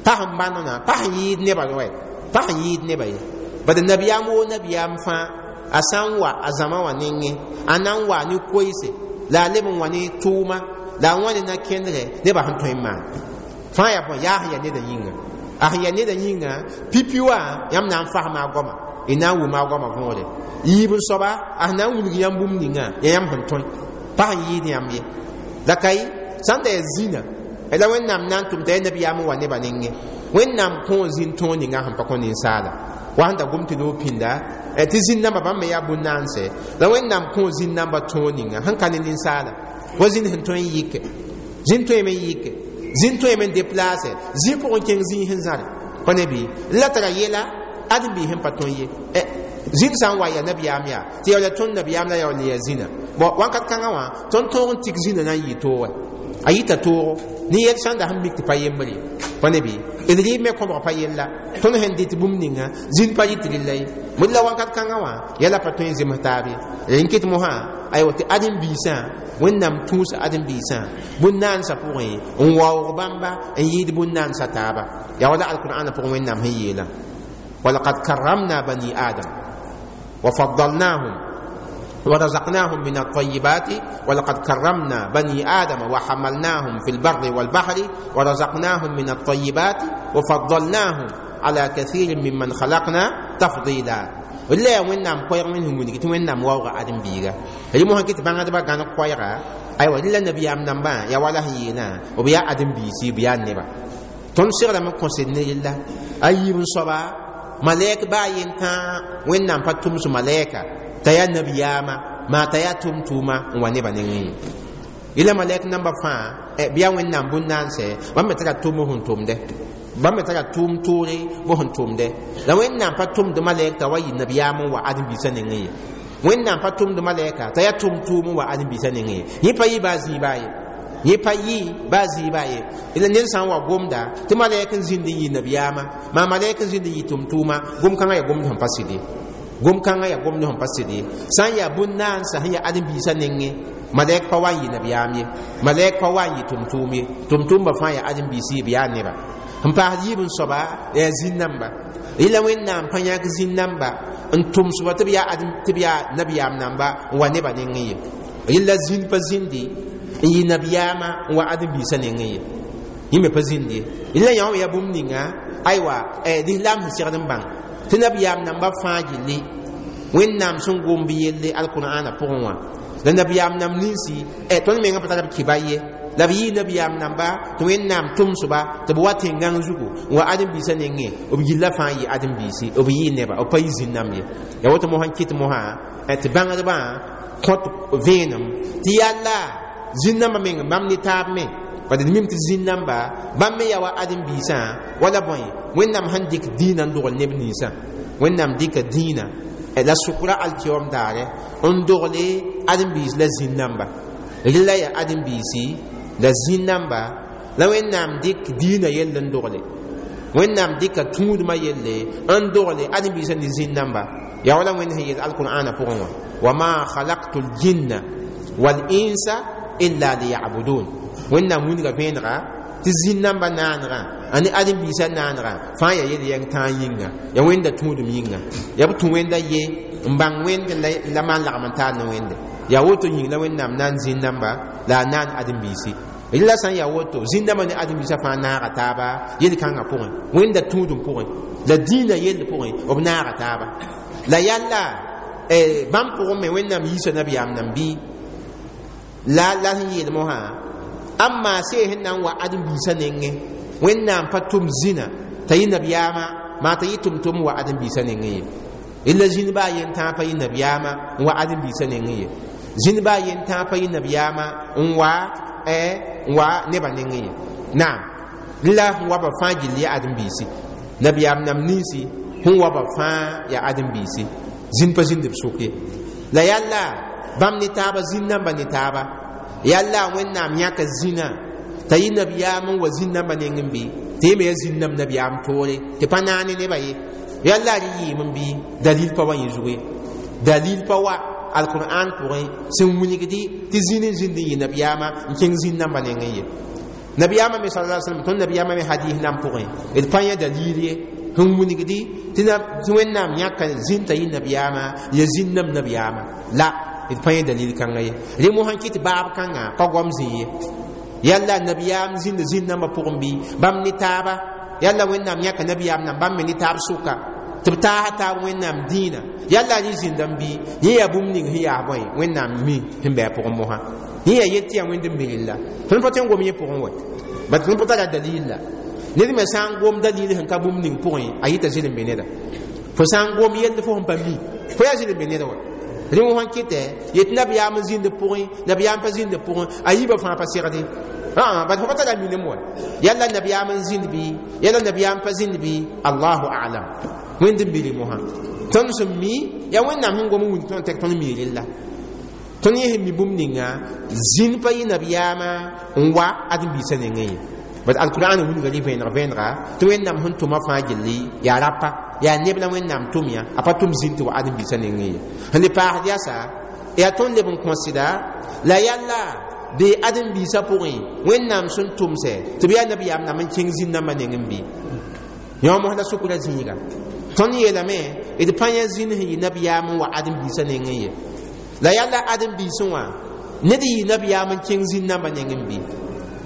pa sẽn bãnona, pa sẽn yɩɩd nebã wɛ, pa sẽn yɩɩd nebã ye. Bad nabiyaam woo nabiyaam fãa a sã n wa a zãma wã nengẽ, a na n wa ne koeese, la a leb n wa ne tʋʋma, la a wã ne na-kẽndrẽ nebã sẽn tõe n maan fãa. Yaa bõe? Yaa sẽn yaa nedã yĩnga, a sẽn yaa nedã yĩnga pipi wã yãmb na n fasma a goama, y na n wʋma a goama võore. Yiib n soaba a sẽn na n wilg yãmb bũmb ninga yaa yãmb sẽn tõe, pa sẽn yɩɩd yãmb ye. La ka ye sãn da yaa zĩna la Wẽnnaam na n tʋm t'a yaa nabiyaam n wa nebã nengẽ. Wẽnnaam kõo zĩn tõog ninga sẽn pa kõ ninsaala wa sẽn da gom tɩ loog pĩnda tɩ zĩn-nambã bãmb me yaa bũn-naanse. La Wẽnnaam kõo zĩn-nambã tõog ninga sẽn ka ne ninsaala wa zĩnd sẽn tõe n yɩke, zĩnd tõeme n yɩke, zĩnd tõeme n deplaase, zĩ pʋgẽ kẽng zĩig sẽn zãre pa ne bɩ la tara yɛla ãdem-biis sẽn pa tõe ye. Zĩnd sã n wa yaa nabiyaam yaa tɩ yaoola tõnd nabiyaam la yaool yaa zĩna bõ wãnkat kãngã wã tõnd tõog n tik zĩnã na n yɩ toogɛ, a yɩta toogo ne yɛl sãn da sẽn mik tɩ pa yembre ye pa ne bɩ d rɩɩb me kõbg pa yella. Tõnd sẽn dɩt bũmb ninga zĩnd pa yɩt rɩlla ye. Bõe la wãnkat kãngã wã yɛla pa tõe n zems taab ye. Rẽ n kɩt mosã aywa tɩ ãdem-biisã Wẽnnaam tũus ãdem-biisã bũn-naansã pʋgẽ n waoog bãmba n yɩɩd bũn-naansã taaba. Yaa wala alkur'ãna pʋgẽ Wẽnnaam sẽn yeelã: walaqad karramna bani adam wa faddalnahum ورزقناهم من الطيبات ولقد كرمنا بني آدم وحملناهم في البر والبحر ورزقناهم من الطيبات وفضلناهم على كثير ممن خلقنا تفضيلا. ولا وينام كوير منهم وني وينام واوغا ادم بيغا ري مو هكيت بانغا دبا غانا كويرا ايوا لا نبي ام نمبا يا ولا هينا وبيا ادم بيسي بيا نبا تون سيغلا من كونسيني لله ايب صبا ملائك با ينتا وينام باتوم سو ملائكه t'a yaa nabiyaama maa t'a yaa tʋm-tʋʋma n wa nebã nengẽ ye. Yẽla malɛk namba fãa bɩ yaa Wẽnnaam bũn-naanse bãmb me tara tʋm b sẽn tʋmdɛ, bãmb me tara tʋʋm toore b sẽn tʋmdɛ. La Wẽnnaam pa tʋmd malɛk t'a wa yɩ nabiyaam n wa ãdem-biisã nengẽ ye. Wẽnnaam pa tʋmd malɛka t'a yaa tʋm-tʋʋm n wa ãdem-biisã nengẽ ye. Yẽ pa yɩ baa zĩig baa ye, yẽ pa yɩ baa zĩig baa ye. La ned sã n wa gomda tɩ malɛk n zĩnd n yɩ nabiyaama maa malɛk n zĩnd n yɩ tʋm-tʋʋma, gom-kãngã yaa gomd sẽn pa sɩd ye, gom-kãngã yaa gomd sẽn pa sɩd ye. Sã n yaa bũn-naansã sẽn yaa ãdem-biisã nengẽ malɛk pa wa n yɩ nabiyaam ye, malɛk pa wa n yɩ tʋm-tʋʋm ye. Tʋm-tʋʋmbã fãa yaa ãdem-biisi, b yaa neba. Sẽn paasd yiib n soaba yaa zĩn-namba. Yẽla Wẽnnaam pa yãk zĩn-namba n tʋmsba tɩ b yaa tɩ b yaa nabiyaam namba n wa nebã nengẽ ye. Yẽla zĩnd pa zĩndi n yɩ nabiyaamã n wa ãdem-biisã nengẽ ye, yẽ me pa zĩnd ye. Yẽla yã wã yaa bũmb ninga aywa lislaam sẽn segd n bãng tɩ nabiyaam namba fãa gilli Wẽnnaam sẽn gom b yelle alkur'ãna pʋgẽ wã. La nabiyaam nam ninsi tõnd menga pa tara b kɩba ye, la b yɩ nabiyaam namba tɩ Wẽnnaam tʋmsba tɩ b wa tẽn-gãng zugu n wa ãdem-biisã nengẽ, b gilla fãa yɩ ãdem-biisi, b yɩ neba, b pa yɩ zĩn-nãmb ye. Yaa woto mosã n kɩt mosã tɩ bãngdbã kõt vẽenem tɩ yalla zĩn-nambã meng bãmb ne taab me bad d mim tɩ zĩn-namba bãmb me yaa wa ãdem-biisã wala bõe. Wẽnnaam sẽn dɩk dĩinã n dogl neb ninsã, Wẽnnaam dɩka dĩinã la sʋkra alkiyoom daare n dogle ãdem-biis la zĩn-namba. Rɩla yaa ãdem-biisi la zĩn-namba la Wẽnnaam dɩk dĩinã yell n dogle, Wẽnnaam dɩka tũudmã yelle n dogle ãdem-biisã ne zĩn-namba. Yaa wala Wẽnd sẽn yeel alkur'ãna pʋgẽ wã: wama khalaqtu ljinna walinsa illa liyabudun. Wẽnnaam wilga vẽenega tɩ zĩn-nambã naanegã ane ãdem-biisã naanegã fãa yaa yel-yɛng tãag yĩnga, yaa Wẽnda tũudum yĩnga, yaa b tũ Wẽnda ye n bãng Wẽnd la maan lagm n taar ne Wẽnde. Yaa woto yĩng la Wẽnnaam naan zĩn-namba la a naan ãdem-biisi. Rɩla sã n yaa woto zĩn-nambã ne ãdem-biisã fãa naaga taaba yel-kãngã pʋgẽ, Wẽnda tũudum pʋgẽ la dĩinã yell pʋgẽ b naaga taaba. La yalla bãmb pʋgẽ me Wẽnnaam yiisa nabiyaam nam bɩ la la sẽn yeel mosã amma see sẽn na n wa ãdem-biisã nengẽ. Wẽnnaam pa tʋm zĩna t'a yɩ nabiyaamã maa t'a yɩ tʋm-tʋm wa ãdem-biisã nengẽ ye. Rɩla zĩnd baa yen tãag pa yɩ nabiyaamã n wa ãdem-biisã nengẽ ye, zĩnd baa yen tãag pa yɩ nabiyaamã n wa n wa nebã nengẽ ye. Naam, rɩla sẽn wa ba fãa gill yaa ãdem-biisi, nabiyaam nam ninsi sẽn wa ba fãa yaa ãdem-biisi, zĩnd pa zĩnd b sʋk ye. La yalla bãmb ne taaba zĩnd namba ne taaba Yalla wẽnnaam yãka zĩnã t'a yɩ nabiyaam n wa zĩn-dãmbã nengẽ bɩ tɩ yẽ me ya zĩn-dãmb nabiyaam toore tɩ pa naane nebã ye. Yalla rɩ yɩɩm n bɩ dalil pa wa yẽ zugu ye, dalil pa wa alqur'an pʋgẽ sẽn wilgdi tɩ zĩn n zĩnd n yɩ nabiyaamã n kẽng zĩn-dãmbã nengẽ ye. Nabiyaamã me sala sallam, tõnd nabiyaamã me hadis nan pʋgẽ d pa yã dalil ye sẽn wilgdi tɩ wẽnnaam yãka zĩn t'a yɩ nabiyaamã ya zĩn-dãmb nabiyaamã la d pa yã dalil kãnga ye. Rẽ mosã kɩt baab kãngã pa goam zĩ ye. Yalla nabiyaam zĩnd zĩn-dãmbã pʋgẽ bɩ bãmb ne taaba, yalla wẽnnaam yãka nabiyaam nan bãmb me ne taab sʋka tɩ b taasa taab wẽnnaam dĩinã. Yalla rẽ zĩndame bɩ yẽ yaa bũmb ning sẽn yaas bõe wẽnnaam mi sẽn bɩ a pʋgẽ mosã. Yẽ yaa yet tɩ yaa wẽnd n miril la tõnd pa tõe n gom yẽ pʋgẽ wɛ, bat tõnd pa tara dalil la. Ned me sã n gom dalil sẽn ka bũmb ning pʋgẽ, a yɩta zɩl n be neda. Fo sã n gom yell fo sẽn pa mi, fo yaa zɩl n be neda wa. Rẽ wã kɩtɛ yet nabiyaam n zĩnd pʋgẽ, nabiyaam pa zĩnd pʋgẽ, a yiibã fãa pa segde bat fo pa tara minem wa. Yalla nabiyaam n zĩnd bɩ, yalla nabiyaam pa zĩnd bɩ, allahu alam, wẽnd n biri mosã. Tõnd sẽn mi yaa wẽnnaam sẽn gom n wilg tõnd tɩ tõnd mi rella. Tõnd yẽ sẽn mi bũmb ninga zĩn pa yɩ nabiyaamã n wa ãdem-biisã nengẽ ye. Bat alqur'an wilga rɩ vẽeneg vẽenega tɩ wẽnnaam sẽn tʋma fãa gilli yaa rapa, yaa neb la wẽnnaam tʋm yã, a pa tʋm zĩn tɩ wa ãdem-biisã nengẽ ye. Sẽn le paasd yasa yaa tõnd leb n kõsda la yalla bee ãdem-biisã pʋgẽ wẽnnaam sẽn tʋmsɛ tɩ b yaa nabiyaam nam n kẽng zĩn-dãmbã nengẽ bɩ yõ mos la sukra zĩiga. Tõnd yeelame d pa yã zĩn sẽn yɩ nabiyaam n wa ãdem-biisã nengẽ ye. La yalla ãdem-biisẽ wã ned yɩ nabiyaam n kẽng zĩn-dãmbã nengẽ bɩ.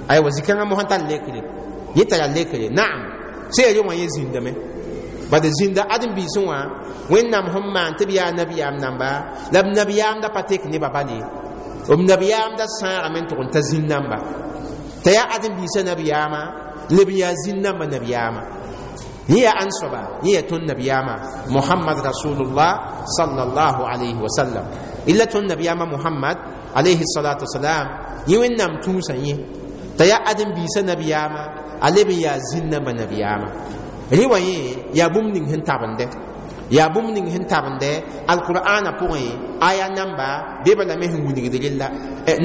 Aywa zĩ-kãngã mosã tar lekre, yẽ tara lekre naam sẽn yaa wã yẽ zĩndame bad zĩnda ãdem-biisẽ wã wẽnnaam sẽn maan tɩ b yaa nabiyaam namba la b nabiyaam da pa tek nebã bale, b nabiyaam da sãagame n tʋg n ta zĩn-dãmba t'a yaa ãdem-biisã nabiyaamã leb n yaa zĩn-dãmbã nabiyaamã. Yẽ yaa ãn soaba? Yẽ yaa tõnd nabiyaamã Mohamad rasulullah sallallahu alayhi wa sallam. Illa tõnd nabiyaamã Mohamad alayhi salatu wasalam yẽ wẽnnaam tũusã yẽ t'a yaa ãdem-biisã nabiyaamã a leb n yaa zĩn-dãmbã nabiyaamã. Rẽ wã yẽ yaa bũmb ning sẽn tabende, yaa bũmb ning sẽn tabende alqur'ana pʋgẽ aya namba bee bala me sẽn wilgd rella.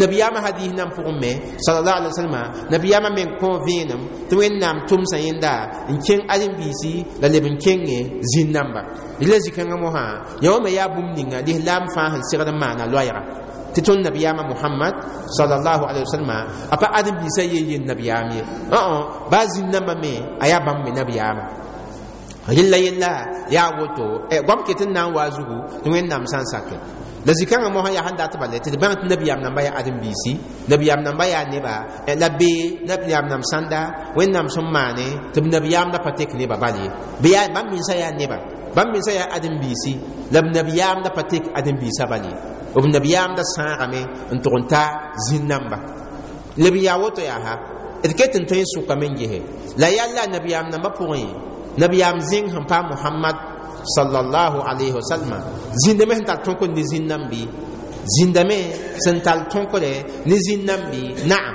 Nabiyaamã hadis nan pʋgẽ me sallallahu alaihi wasallam nabiyaamã me n kõ vẽenem tɩ wẽnnaam tʋmsã yẽnda n kẽng ãdem-biisi la leb n kẽnge zĩn-dãmba. Rela zĩ-kãngã mosã yã wã me yaa bũmb ninga lislaam fãa sẽn segd n maana loɛɛga tɩ tõnd nabiyaamã Mohamad sallallahu alaihi wasallam a pa ãdem-biisã yen yen nabiyaam ye, baa zĩn-dãmbã me a yaa bãmb me nabiyaamã. Rella yella yaa woto goam ket n na n wa zugu tɩ wẽnnaam sã n sake. La zĩ-kãngã mosã yaa sẽn dat bala tɩ d bãng tɩ nabiyaam namba yaa ãdem-biisi, nabiyaam namba yaa neba la bee nabiyaam nam sãnda wẽnnaam sẽn maane tɩ b nabiyaam da pa tek nebã bal ye. Bɩ yaa bãmb mensã yaa neba, bãmb mensã yaa ãdem-biisi la b nabiyaam da pa tek ãdem-biisã bal ye, b nabiyaam da sãagame n tʋg n ta zĩn-dãmba. Leb n yaa woto yaa ha d ket n tõe n sʋkame n gese la yalla nabiyaam nambã pʋgẽ nabiyaam zĩng sẽn paam Mohamad sallallahu alayhi wa sallam zĩndame sẽn tar tõkr ne zĩn-dãmb bɩ, zĩndame sẽn tar tõkre ne zĩn-dãmb bɩ naam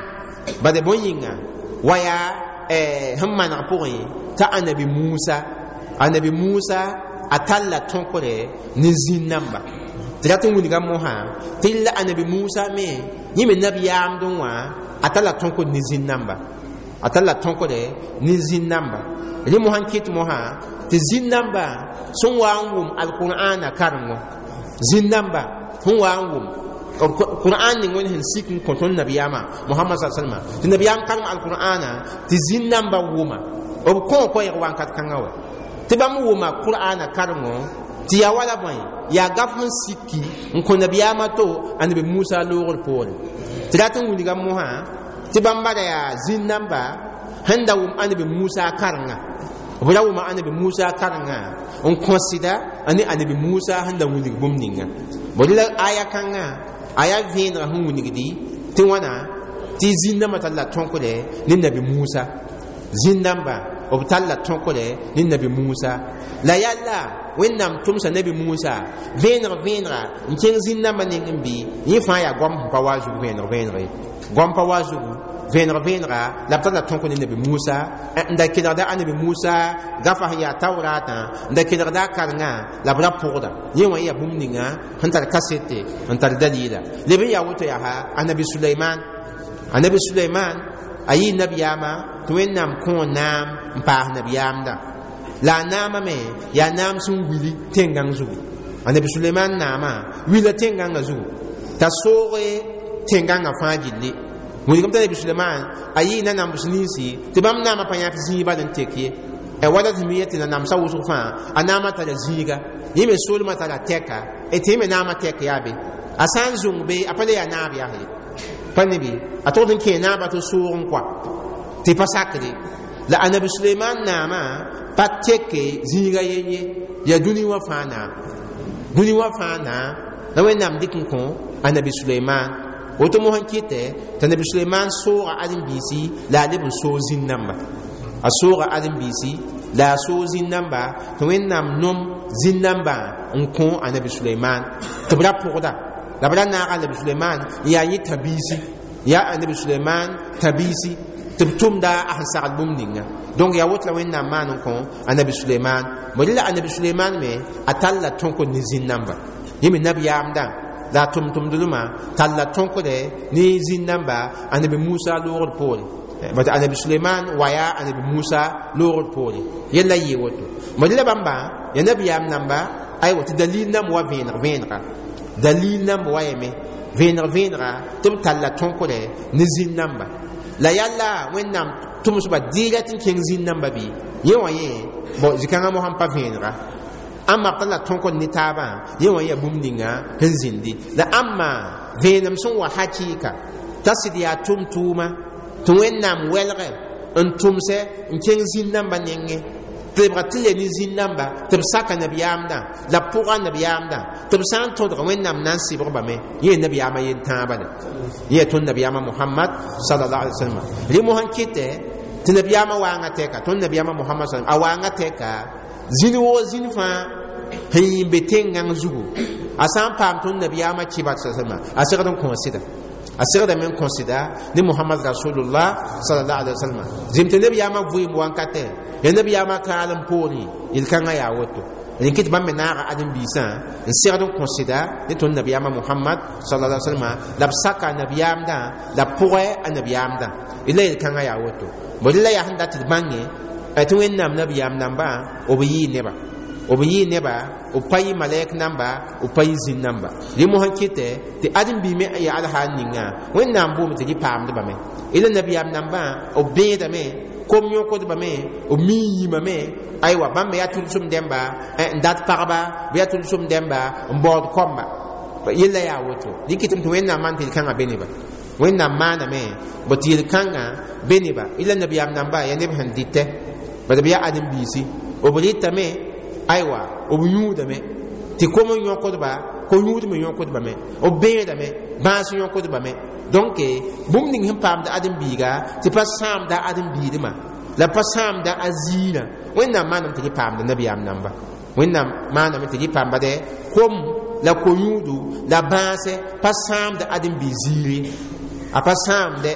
bad bõe yĩnga wa yaa sẽn maneg pʋgẽ t'a anabi Musa, anabi Musa a talla tõkre ne zĩn-dãmba. Tɩ rat n wilga mosã tɩ la anabi Musa me yẽ me nabiyaamdẽ wã a talla tõkr ne zĩn-dãmba, a talla tõkre ne zĩn-dãmba. Rẽ mosã n kɩt mosã tɩ zĩn-dãmba sẽn wa n wʋm alqur'ana karengo, zĩn-dãmba sẽn wa n wʋm qur'an ning wẽnd sẽn sik n kõ tõnd nabiyaamã Mohamad sa salma tɩ nabiyaam karem alqur'ana tɩ zĩn-dãmba wʋma b kõ koɛɛg wakat kãngã wa tɩ bãmb wʋma qur'ana karengo tɩ yaa wala bõe yaa gaf sẽn sikki n kõ nabiyaamã to anabi Musa loogr poore. Tɩ rat n wilga mosã tɩ bãmba ra yaa zĩn-dãmba sẽn da wʋm anabi Musa karenga, b ra wʋma anabi Musa karenga n kõsda ne anabi Musa sẽn da wilg bũmb ninga. Bõe la aya kãngã a yaa vẽenega sẽn wilgdi tɩ wãna tɩ zĩn-dãmbã tall la tõkre ne nabi Musa, zĩn-dãmba b tall la tõkre ne nabi Musa. La yalla wẽnnaam tʋmsa nabi Musa vẽeneg vẽenega n kẽng zĩn-dãmbã nengẽ bɩ yẽ fãa yaa goam sẽn pa wa zug vẽeneg vẽeneg ye, goam pa wa zugu vẽeneg vẽenega la b talla tõk ne nabi Musa n da kelgda a nabi Musa gafa sẽn yaa tauratã n da kelgda a karengã la b ra pʋgda yẽ wã yaa bũmb ninga sẽn tar kasete n tar dalila leb n yaa woto yaa anabi Suleiman anabi Suleiman a yɩ nabiyaamã tɩ Wẽnnaam kõ naam n paas nabiyaamdã la a naamã me yaa naam sẽn wili tẽn-gãng zugu anabi Suleiman naamã wila tẽn-gãngã zugu t'a sooge tẽn-gãngã fãa gilli wilgem t'a nabi Suleiman a yɩ nanambs ninsi tɩ bãmb naamã pa yãk zĩig bal n tek ye wala tɩ mi tɩ nanamsã wʋsg fãa a naamã tara zĩiga yẽ me soolmã tara tɛka tɩ yẽ me naamã tɛk yaa be a sã n zũng be a pa le yaa naab yaa ye pa ne be a togd n kẽ naabã tɩ soog n koa tɩ pa sakre la anabi Suleiman naamã pa teke zĩiga yen ye yaa dũni wã fãa naam dũni wã fãa naam la Wẽnnaam dɩk n kõ anabi Suleiman woto mosã kɩtɛ t'a nabi Suleiman sooga ãdem-biisi la a leb n soog zĩn-dãmba a sooga ãdem-biisi la a soog zĩn-dãmba tɩ Wẽnnaam nom zĩn-dãmbã n kõ anabi Suleiman tɩ b ra pʋgda la b ra naaga anabi Suleiman n yaa yẽ tãbiisi yaa anabi Suleiman tãbiisi tɩ b tʋmda a sẽn sagl bũmb ninga donc yaa woto la Wẽnnaam maan n kõ anabi Suleiman bõe la anabi Suleiman me a talla tõkd ne zĩn-dãmba yẽ me nabiyaamdã la a tʋm-tʋmdlmã talla tõkdɛ ne zĩn-dãmba anabi Musa loogd poore bat anabi Suleiman wa yaa anabi Musa loogd poore yella yɩ woto bõe la bãmba ya nabiyaam namba aywa tɩ dalil namba wa vẽeneg vẽenega dalil namba wa yame vẽeneg vẽenega tɩ b talla tõkdɛ ne zĩn-dãmba la yalla Wẽnnaam tʋmsba dɩɩra tɩ n kẽng zĩn-dãmba bɩ yẽ wã yẽ bõ zĩ-kãngã mosã n pa vẽenega ãmba b talla tõkd ne taabã yẽ wã yaa bũmb ninga sẽn zĩndi la ãmba vẽenem sẽn wa hakɩɩka t'a sɩd yaa tʋm-tʋʋma tɩ Wẽnnaam wɛlgɛ n tʋmsɛ n kẽng zĩn-dãmbã nengẽ tɩ lebga tɩ le ne zĩn-dãmba tɩ b saka nabiyaamdã la b pʋga nabiyaamdã tɩ b sã n tõdg Wẽnnaam na n sɩbgbame yẽ nabiyaamã yen-tãabã la yẽ tõnd nabiyaamã Mohamad sallallahu alaihi wasallam rẽ mosã n kɩtɛ tɩ nabiyaamã waangã tɛka tõnd nabiyaamã Mohamad sallam a waangã tɛka zĩn woo zĩn fãa sẽn yĩn be tẽn-gãng zugu a sã n paam tõnd nabiyaamã kɩba sallam a segd n kõ sɩda a segdame n kõ sɩda ne Mohamad rasulullah sallallahu alaihi wasallam zĩm tɩ nabiyaamã vɩɩm wankatɛ ya nabiyaamã kaalem poorẽ yel-kãngã yaa woto rẽ kɩ tɩ bãmb me naaga ãdem-biisã n segd n kõ sɩda ne tõnd nabiyaamã Mohamad sallallahu alaihi wasallam la b saka a nabiyaamdã la b pʋgɛ a nabiyaamdã la yel-kãngã yaa woto bõe la yaa sẽn dat tɩ d bãnge tɩ Wẽnnaam nabiyaam nambã b yɩɩ neba b yɩ neba b pa yɩ malɛk namba b pa yɩ zĩn namba rẽ mosã kɩtɛ tɩ ãdem-biig me yaa alhaal ninga Wẽnnaam boome tɩ rɩ paamdbame la nabiyaam nambã b bẽedame kom yõkdbame b mii yĩmame aywa bãmb me yaa tʋlsem dẽmba n dat pagba bɩ yaa tʋlsem dẽmba n baood kɔmba yella yaa woto rẽ kɩtame tɩ Wẽnnaam maan tɩ yel-kãngã be neba Wẽnnaam maaname bõ tɩ yel-kãngã be neba la nabiyaam namba yaa neb sẽn dɩtɛ bad b yaa ãdem-biisi b rɩtame aywa b yũudame tɩ kom n yõkdba ko yũud me yõkdbame b bẽedame bãas yõkdbame donc bũmb ning sẽn paamda ãdem-biiga tɩ pa sãamda ãdem-biidmã la pa sãamda a ziirã Wẽnnaam maaname tɩ rɩ paamda nabiyaam namba Wẽnnaam maaname tɩ rɩ paamba dɛ kom la ko-yũudu la bãasɛ pa sãamda ãdem-biig ziiri a pa sãamdɛ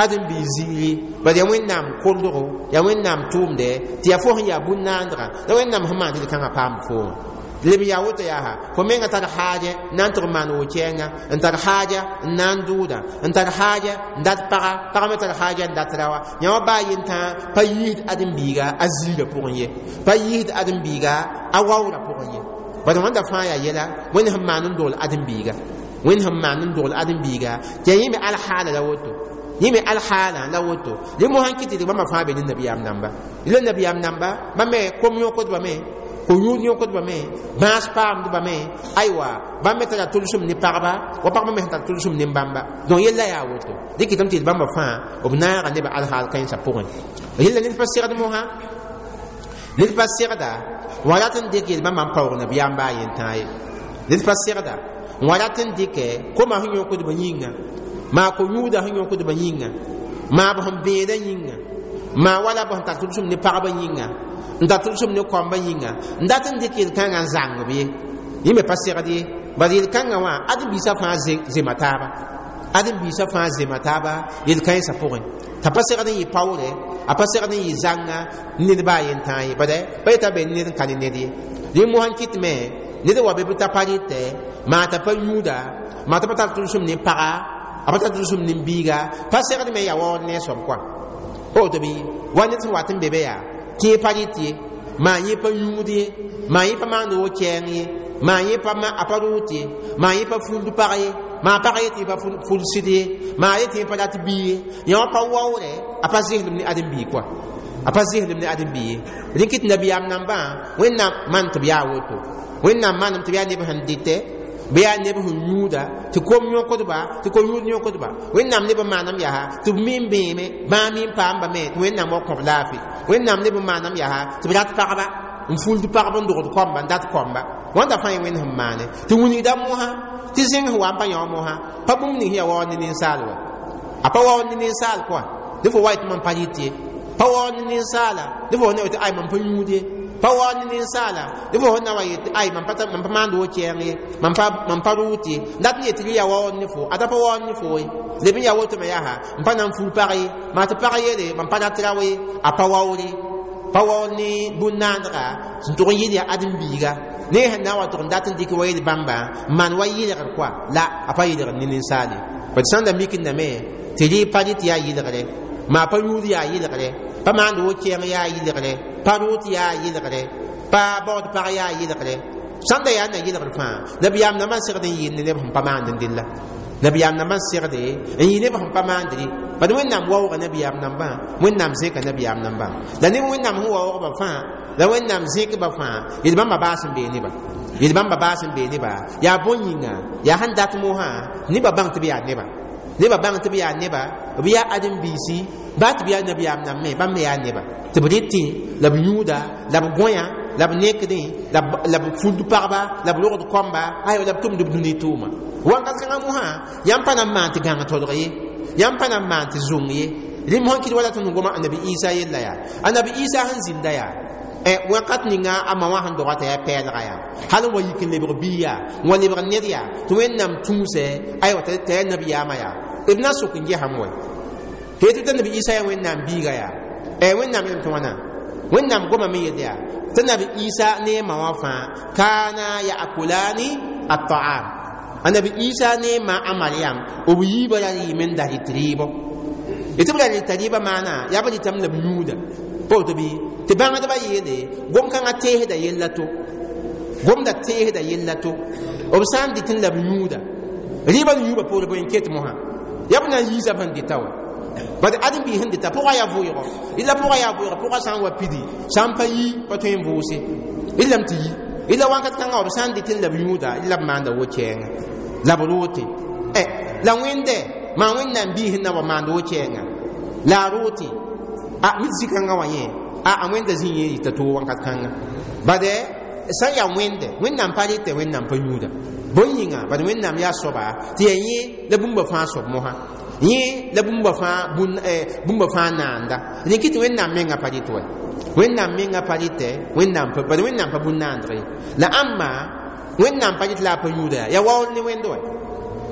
ãdem-biig ziiri bad yaa Wẽnnaam koldgo yaa Wẽnnaam tʋʋmdɛ tɩ yaa fo sẽn yaa bũn-naandga la Wẽnnaam sẽn maan tɩ kãngã paamd foomã leb yaa woto yaa fo menga tar haaja n na n tɩg maan wo-kɛɛnga n tar haaja n na n dʋʋda n tar haaja n dat paga pag me tar haaja n dat raoã yã wã baa yentãa pa yiisd ãdem-biiga a ziirã pʋgẽ ye pa yiisd ãdem-biiga a waoorã pʋgẽ ye bad wãnda fãa yaa yɛla Wẽnd sẽn maan n dogl ãdem-biiga Wẽnd sẽn maan n dogl ãdem-biiga tɩ yaa yẽ me alhaala la woto yẽ me alhaala la woto rẽ mosã n kɩ tɩ bãmba fãa be ne nabiyaam namba la nabiyaam namba bãmb me kom yõkdbame ko-yũud yõkdbame bãas paamdbame aywa bãmb me tara tʋlsem ne pagba wa pagba me sẽn tar tʋlsem ne bãmba donc yella yaa woto dɩ kɩtame tɩ bãmba fãa b naaga nebã alhaal kãensã pʋgẽ yella ned pa segd mosã ned pa segda n wa rat n dɩk yel bãmba n paoog nabiyaam baa yentãa ye ned pa segda n wa rat n dɩkɛ koma sẽn yõkdbã yĩnga maa ko-yũudã sẽn yõkdbã yĩnga maa b sẽn bẽedã yĩnga maa wala b sẽn tar tʋlsem ne pagba yĩnga n tar tʋlsem ne kɔmbã yĩnga n dat n dɩk yel-kãngã n zãng b ye yẽ me pa segd ye bad yel-kãngã wã ãdem-biisã fãa zema taaba Ãdem-biisã fãa zema taaba yel-kãensã pʋgẽ t'a pa segd n yɩ paoore, a pa segd n yɩ zãnga ned baa yen tãa ye. Bad pa yeta be ned n ka ne ned ye. Rẽ mosã n kɩtme ned wa be bɩ t'a pa rɩtɛ, maa t'a pa yũuda, maa t'a pa tar tʋlsem ne paga, a pa tar tʋlsem ne biiga, pa segd me yaa waood ne a soab koa. Woto bɩ wa ned sẽn wat n be be yaa tɩ pa rɩt ye, maa yẽ pa yũud ye, maa yẽ pa maand wo kɛɛng ye, maa yẽ pa a pa rʋʋt ye, maa yẽ pa fuld pag ye, maa pag ye tɩ pa fuld sɩd ye, maa ye tɩ pa rat bii ye. Yã wã pa waoorɛ, a pa zɩslem ne ãdem-bii koa, a pa zɩslem ne ãdem-bii ye. Rẽ kɩt nabiyaam nambã Wẽnnaam maan tɩ b yaa woto. Wẽnnaam maanem tɩ b yaa neb sẽn dɩtɛ, bɩ yaa neb sẽn yũuda, tɩ kom yõkdba, tɩ ko-yũud yõkdba. Wẽnnaam neb n maanam yaa tɩ b mi n bẽeme, bãa mi n paamba me tɩ Wẽnnaam wa kõb laafɩ. Wẽnnaam neb n maanam yaa tɩ b rat pagba, n fuld pagb, n dogd kɔmba, n dat kɔmba. Wãnda fãa yẽ Wẽnd sẽn maane tɩ wilgda mosã tɩ zẽng sẽn wa n pa yã wã mosã pa bũmb ning sẽn yaa waood ne ninsaal wa. A pa waood ne ninsaal koa dẽ fo wa yetɩ mam pa rɩt ye, pa waood ne ninsaala dẽ fo na yetɩ ay mam pa yũud ye, pa waood ne ninsaala dẽ fo na wa yetɩ ay mam pa maand wo kɛɛng ye, mam pa rʋʋt ye. Dat n yetɩ rɩ yaa waood ne fo, ada pa waood ne fo ye. Leb n yaa woto me yaa n pa na n ful pag ye, maa tɩ pag yeele mam pa rat rao ye. A pa waoore, pa waood ne bũn-naandga sẽn tʋg n yɩl yaa ãdem-biiga ne sẽn na n wa tʋg n dat n dɩk wa yel bãmba n maan wa yɩlgr koa la a pa yɩlgr ne ninsaal ye. Bad sãn da mikindame tɩ rɩ pa rɩt yaa yɩlgre, maa pa yũud yaa yɩlgre, pa maand wo kɛɛng yaa yɩlgre, pa rʋʋt yaa yɩlgre, pa baood pag yaa yɩlgre, sãn da yaa na yɩlgr fãa nabiyaam nambã n segd n yɩɩl ne neb sẽn pa maand n della. Nabiyaam nambã n segde n yɩ neb sẽn pa maandre. Bad Wẽnnaam waooga nabiyaam nambã, Wẽnnaam zẽka nabiyaam nambã la neb Wẽnnaam sẽn waoogba fãa la Wẽnnaam zẽkba fãa yel bãmba baas n bee neba, yel bãmba baas n bee neba. Yaa bõn yĩnga yaa sẽn dat mosã nebã bãng tɩ b yaa neba, nebã bãng tɩ b yaa neba, b yaa ãdem-biisi baa tɩ b yaa nabiyaam nambẽ, bãmb me yaa neba tɩ b rɩtẽ la b yũuda la b gõya la b nekdẽ la b fuld pagba la b rogd kɔmba ayo la b tʋmd b dũni tʋʋma. Wãnkat kãngã mosã yãmb pa na n maan tɩ gãng tolg ye, yãmb pa na n maan tɩ zũng ye. Rẽmb sẽn kɩt wala tõnd goma annabi Isa yella yaa annabi Isa sẽn zĩnda yaa wakat ninga a ma wã sẽn doga t'a yaa pɛɛlga yaa hal n wa yik n lebg bii yaa n wa lebg ned yaa tɩ Wẽnnaam tũusɛ aywa t'a yaa nabiyaamã yaa b na sok n gesame wa tɩ yetɩ t'a nabi Isa yaa Wẽnnaam biiga yaa Wẽnnaam yelm tɩ wãna Wẽnnaam goma me yel yaa tɩ nabi Isa ne a ma wã fãa kaana yaakulani at-taam. Annabi Isa ne ma a Mariam b yiibã ra rɩɩm n da rɩt rɩɩbɔ tɩ b ra rɩta rɩɩbã maana yaa b rɩtame la b yũuda. Pa woto bɩ tɩ bãngdbã yeele gom-kãngã teesda yella to, gomda teesda yella to. B sã n dɩt n la b yũuda rɩɩbã n yũubã poore bõe n ket mosã yaa b na n yiisa b sẽn dɩta wa. Bad ãdem-biis sẽn dɩta pʋga yaa vʋɩgɔ, rɩla pʋga yaa vʋɩgɔ, pʋga sã n wa pidi sã n pa yi pa tõe n vʋʋse rɩlame tɩ yi rɩla wãnkat kãngã b sã n dɩt n la b yũuda rɩla b maanda wo kɛɛngã la b roote. La Wẽnde maa Wẽnnaam biis sẽn na wa maand wo kɛɛngã la a roote a mit zĩ-kãngã wã yẽ a Wẽnda zĩ yẽ yɩta toog wãnkat kãngã. Bad sã n yaa Wẽnde Wẽnnaam pa rɩtɛ, Wẽnnaam pa yũuda bõn yĩnga bad Wẽnnaam yaa soaba tɩ yaa yẽ la bũmba fãa soab mosã, yẽ la bũmba fãa bũmba fãa naanda. Rẽ kɩ tɩ Wẽnnaam mengã pa rɩt wa, Wẽnnaam mengã pa rɩtɛ, Wẽnnaam pa bad Wẽnnaam pa bũn-naandg ye. La ãmba Wẽnnaam pa rɩt la a pa yũuda yaa waool ne Wẽnd wa.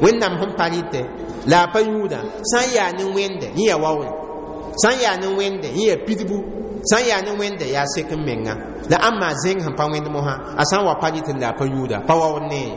Wẽnnaam sẽn pa rɩtɛ la a pa yũuda sã n yaa ne Wẽnde yẽ yaa waoole, sã n yaa ne Wẽnde yẽ yaa pidbu, sã n yaa ne Wẽnde yaa sek n menga. La ãmba zẽng sẽn pa wẽnd mosã a sã n wa pa rɩt la a pa yũuda pa waool ne,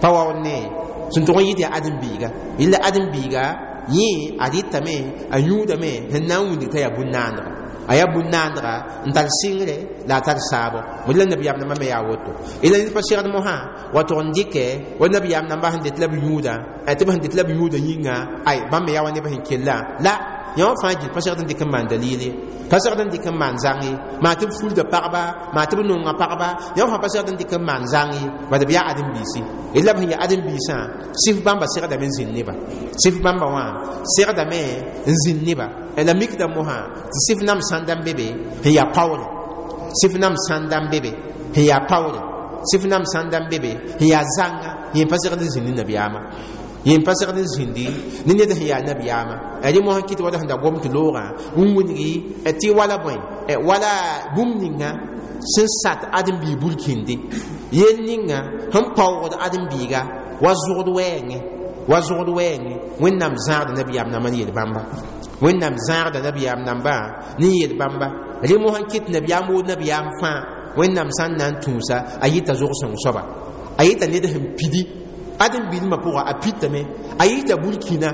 pa waool ne sẽn tʋg n yɩt yaa ãdem-biiga. Yella ãdem-biiga yẽ a rɩtame a yũudame sẽn na n wilg t'a yaa bũn-naandga, a yaa bũn-naandga n tar sɩngre la a tar saabo. La nabiyaam nambã me yaa woto. La ned pa segd mosã wa tʋg n dɩkɛ wa nabiyaam nambã sẽn dɩt la b yũuda tɩ b sẽn dɩt la b yũuda yĩnga ay bãmb me yaa wa neb sẽn kella la yã wã fãa gil pa segd n dɩk n maan dalil ye, pa segd n dɩk n maan zãng ye, maa tɩ b fulda pagba, maa tɩ b nonga pagba, yã wã fãa pa segd n dɩk n maan zãng ye, bad b yaa ãdem-biisi. La b sẽn yaa ãdem-biisã sɩf bãmba segdame n zĩnd neba, sɩf bãmba wã segdame n zĩnd neba. La mikda mosã tɩ sɩf nam sãnda n be be sẽn yaa paoore, sɩf nam sãnda n be be sẽn yaa paoore, sɩf nam sãnda n be be sẽn yaa zãnga yẽ pa segd n zĩnd ne nabiyaamã, yẽ pa segd n zĩndi ne ned sẽn yaa nabiyaamã. Rẽ mosã kɩt wala sẽn da gom tɩ loogã n wilgi tɩ wala bõe wala bũmb ninga sẽn sat ãdem-biig burkĩnde yel ninga sẽn paoogd ãdem-biiga wa zʋgd wɛɛngẽ, Wa zogd wɛɛngẽ Wẽnnaam zãagda nabiyaam nambã ne yel bãmba. Wẽnnaam zãagda nabiyaam nambã ne yel bãmba. Rẽ mosã n kɩt nabiyaam woo nabiyaam fãa Wẽnnaam sã n na n tũusa a yɩta zog-sõng soaba, a yɩta ned sẽn pidi ãdem-biilmã pʋga a pitame, a yɩta burkina,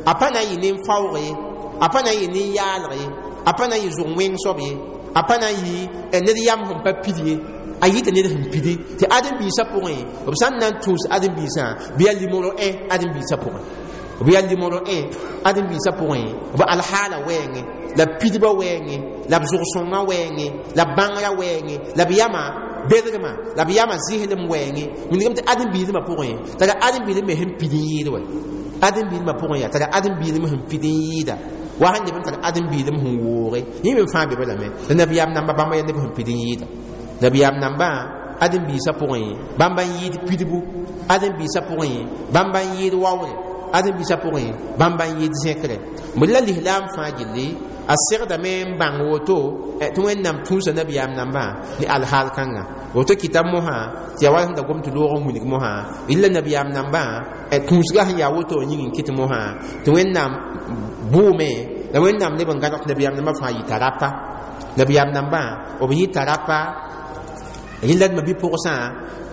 a pa na n yɩ nen-faoog ye, a pa na n yɩ nen-yaalg ye, a pa na n yɩ zog-wẽng soab ye, a pa na n yɩ ned yam sẽn pa pid ye, a yɩta ned sẽn pidi tɩ ãdem-biisã pʋgẽ b sã n na n tũus ãdem-biisã bɩ yaa limoro 1 ãdem-biisã pʋgẽ, b yaa limoro 1 ãdem-biisã pʋgẽ, b alhaala wɛɛngẽ la b pidbã wɛɛngẽ la b zog-sõngã wɛɛngẽ la b bãngrã wɛɛngẽ la b yamã bedgmã la b yamã zɩslem wɛɛngẽ. Wilgame tɩ ãdem-biilmã pʋgẽ tara ãdem-biilm me sẽn pid n yɩɩd wɛ ãdem-biilmã pʋgẽ yaa tara ãdem-biilm sẽn pid n yɩɩda wa sẽn leb n tar ãdem-biilm sẽn wooge yẽ me fãa be balame. La nabiyaam namba bãmba yaa neb sẽn pid n yɩɩda. Nabiyaam nambã ãdem-biisã pʋgẽ bãmba n yɩɩd pidbu, ãdem-biisã pʋgẽ bãmba n yɩɩd waoore, ãdem-biisã pʋgẽ bãmba n yɩɩd zẽkre. B la lislaam fãa gilli a segdame n bãng woto tɩ Wẽnnaam tũusa nabiyaam nambã ne alhaal kãnga. Woto kɩta mosã tɩ yaa wa sẽn da gom tɩ loog n wilg mosã illa nabiyaam nambã tũusga sẽn yaa woto yĩng n kɩt mosã tɩ Wẽnnaam bʋʋme la Wẽnnaam leb n gãneg tɩ nabiyaam nambã fãa yɩta rapa. Nabiyaam nambã b yɩta rapa rẽnd la bi-pʋgsã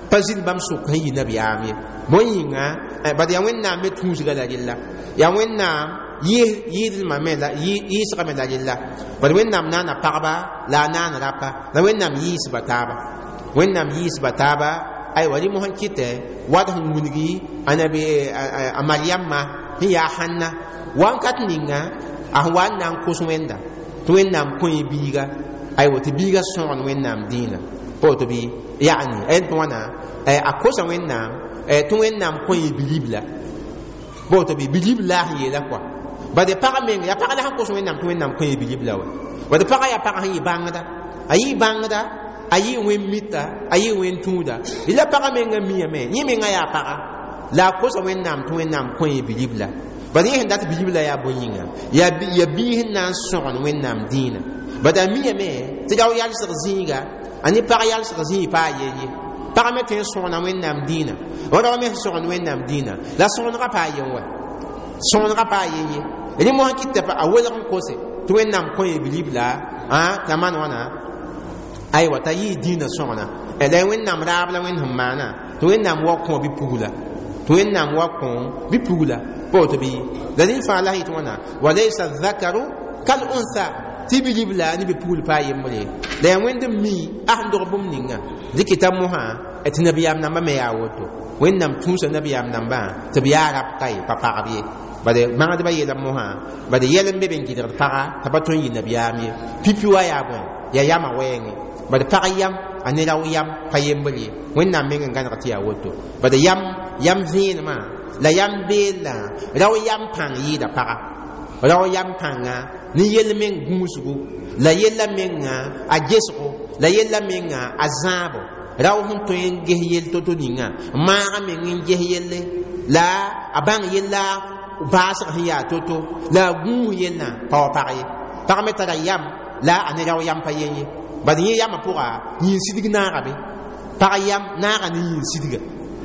pa zĩnd bãmb sʋk sẽn yɩ nabiyaam ye. Bõe yĩnga bad yaa Wẽnnaam me tũusga la rella, yaa Wẽnnaam yɩɩdlmã me la yɩɩsgame la rella. Bad Wẽnnaam naana pagba la a naan rapa la Wẽnnaam yɩɩsba taaba, Wẽnnaam yɩɩsba taaba. Aywa rẽ mosã n kɩtɛ wad sẽn wilgi a nabi a Mariamma sẽn yaa Hãnna wakat ninga a sẽn wa n na n kos Wẽnda tɩ Wẽnnaam kõ biiga, aywa tɩ biiga sõgen Wẽnnaam dĩinã pa woto bɩ yaani tɩ wãna a kosa Wẽnnaam tɩ Wẽnnaam kõ bilibla pa woto bɩ bilibla sẽn yeela kɔa. Bad pag meng yaa pag la sẽn kos Wẽnnaam tɩ Wẽnnaam kõ bilibla wa. Bad pagã yaa pag sẽn yɩ bãngda, a yɩ bãngda, a yɩ wẽn mita, a yɩ wẽn tũuda. La pagã menga miame yẽ menga yaa paga la a kosa Wẽnnaam tɩ Wẽnnaam kõ bilibla. Bad yẽ sẽn dat bilibla yaa bõe yĩnga yaa biis sẽn na n sõgen Wẽnnaam dĩinã. Bad a miame tɩ rao yalsg zĩiga a ne pag yalsg zĩig pa a yen ye. Pag me tõe n sõgna Wẽnnaam dĩinã wa rao me sẽn sõgen Wẽnnaam dĩinã la sõgenga pa a yen wa, sõgenga pa a yen ye. Rẽ mosã kɩta a welg n kose tɩ Wẽnnaam kõ bilibla t'a maan wãna aywa t'a yɩɩ dĩinã sõgna la Wẽnnaam raab la Wẽnd sẽn maana tɩ Wẽnnaam wa kõ bi-pugla, tɩ Wẽnnaam wa kõ bi-pugla pa woto bɩ la rẽ fãa la yɩ tɩ wãna walaysa dhakaru kal untha tɩ bilibla ne bi-pugl pa a yembre la yaa Wẽnd n mi a sẽn dog bũmb ninga dɩkɩta mosã tɩ nabiyaam nambã me yaa woto. Wẽnnaam tũusa nabiyaam nambã tɩ b yaa rab ka ye pa pagb ye. Bad bãngdbã yeela mosã bad yɛl n be be n gɩdgd paga t'a pa tõe n yɩ nabiyaam ye. Pipi wa yaa bõe yaa yamã wɛɛngẽ bad pag yam a ne rao yam pa yembr ye. Wẽnnaam meng n gãneg tɩ yaa woto. Bad yam vẽenemã la yam beellã rao yam pãng yɩɩda paga, rao yam pãnga ne yell meng gũusgu la yella menga a gesgo la yella menga a zãabo. Rao sẽn tõe n ges yell to-to ninga maagã meng n ges yelle la a bãng yella baasg sẽn yaa to-to la a gũus yellã pa wa pag ye. Pag me tara yam la a ne rao yam pa yen ye. Bad yẽ yamã pʋga yĩn-sidg naaga be pag yam naaga ne yĩn-sidga.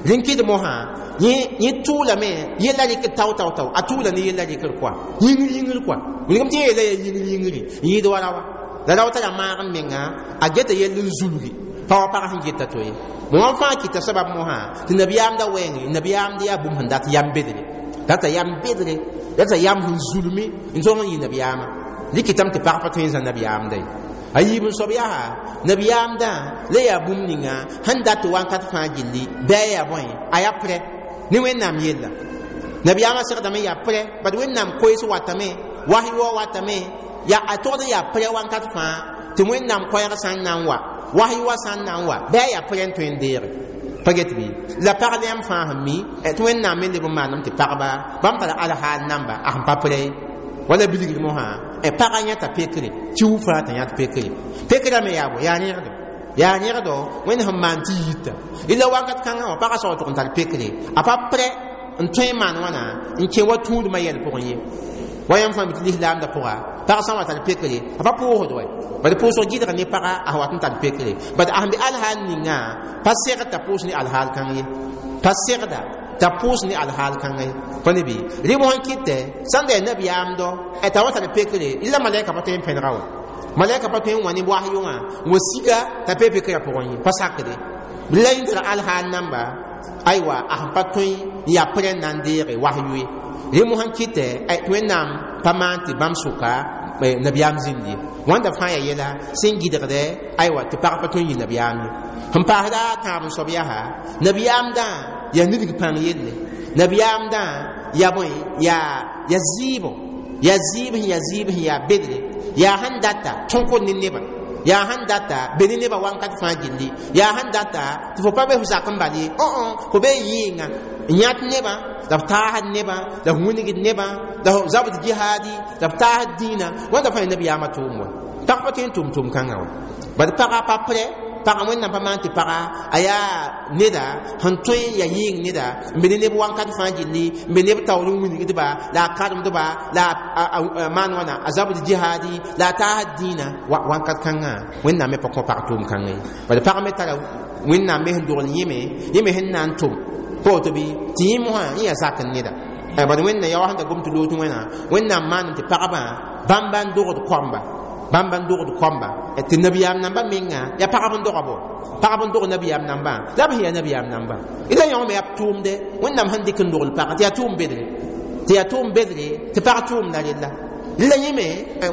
Rẽn kɩd mosã yẽ tʋʋlame yella rɩkd tao tao tao a tʋʋla ne yella rɩkr kɔa yĩngr yĩngr kɔa wilgame tɩ yẽ yeela yaa yĩngr yĩngre n yɩɩd wa rawa la rao tara maag n menga a geta yell n zulgi pa wa pag sẽn geta to ye. Wã fãa kɩta sabab mosã tɩ nabiyaamda wɛɛngẽ nabiyaamd yaa bũmb sẽn dat yam bedre, data yam bedre, data yam sẽn zulmi n tõog n yɩ nabiyaamã. Dɩkɩtame tɩ pag pa tõe n zã nabiyaamda ye. A yiib n soab yaa nabiyaamdã la yaa bũmb ninga sẽn dat tɩ wãnkat fãa gilli bɩ a yaa bõe a yaa prɛ ne Wẽnnaam yella. Nabiyaamã segdame yaa prɛ bad Wẽnnaam koees watame wasy wa watame yaa a togd n yaa prɛ wãnkat fãa tɩ Wẽnnaam koɛɛg sã n na n wa wasy wa sã n na n wa bɩ a yaa prɛ n tõe n deege pa get bɩ la pag yãmb fãa sẽn mi tɩ Wẽnnaam me leb n maanam tɩ pagba bãmb tara alhaal namba a sẽn pa prɛ wala bilgr mosã pagã yãta pekre tɩ fãa t'a yãt pekre pekrã me yaa bõ yaa rẽgdo, yaa rẽgdo Wẽnd sẽn maan tɩ yita illa wakat kãngã wã pagã sao tʋg n tar pekre a pa prɛ n tõe n maan wãna n kẽ wa tũudmã yɛl pʋgẽ ye. Wa yãmb fãa mi tɩ lislaamdã pʋga pag sã n wa tar pekre a pa pʋʋsd wɛ bad pʋʋsg gɩdg ne paga a sẽn wat n tar pekre bad a sẽn be alhaal ninga pa segd t'a pʋʋs ne alhaal kãng ye, pa segda T'a pʋʋs ne alhaal kãngã ye pa ne bɩ rɩ mosã kɩtɛ sãn da yaa nabiyaamdɔ t'a wa tar pekre la malaika pa tõe n pẽnega wa malaika pa tõe n wã ne wahyʋ wã n wa siga t'a pe pekrã pʋgẽ ye pa sakde la yẽ tara alhaal namba aywa a sẽn pa tõe n yaa pʋrẽ n na n deege wahyu ye rẽ mosã kɩtɛ tɩ Wẽnnaam pa maan tɩ bãmb sʋka nabiyaam zĩnd ye wãnda fãa yaa yɛla sẽn gɩdgdɛ aywa tɩ pag pa tõe n yɩ nabiyaam ye sẽn paasda a tãab n soab yaa nabiyaamdã yaa nidg pãng yelle nabiyaamdã yaa bõe yaa zɩɩbo yaa zɩɩb sẽn yaa zɩɩb sẽn yaa bedre yaa sẽn data tõkd ne nebã yaa sẽn data be ne nebã wakat fãa gilli yaa sẽn data tɩ fo pa be fo zak n bal ye fo be yɩɩnga n yãt nebã la f taasd nebã la f wingd nebã la f zabd jihaadi la f taasd dĩinã wãnda fãa ya nabiyaamã tʋʋm wa pag pa tõe n tʋm tʋʋm kãngã wa bad pagã pa prɛ pagã Wẽnnaam pa maan tɩ paga a yaa neda sẽn tõe n yaa yɩɩng neda n be ne neb wakat fãa gilli n be neb taoor n wilgdba la a karemdba la a maan wãna a zabd jihaadi la a taasd dĩinã wakat kãngã Wẽnnaam me pa kõ pag tʋʋm kãngã ye bad pag me tara Wẽnnaam me sẽn dogl yẽme yẽ me sẽn na n tʋm pa woto bɩ tɩ yẽ mosã yẽ yaa zak n neda bad Wẽnnaam yaa wa sẽn da gom tɩ loot wẽna Wẽnnaam maaname tɩ pagba bãmba n dogd koamba bãmba n dogd koamba tɩ nabiyaam namba menga yaa pagb n doga bo pagb n dog nabiyaam nambã la b sẽn yaa nabiyaam nambã la yõ me yaa tʋʋmde Wẽnnaam sẽn dɩk n dogl pag tɩ yaa tʋʋm bedre tɩ yaa tʋʋm bedre tɩ pag tʋʋmda rella la yẽ me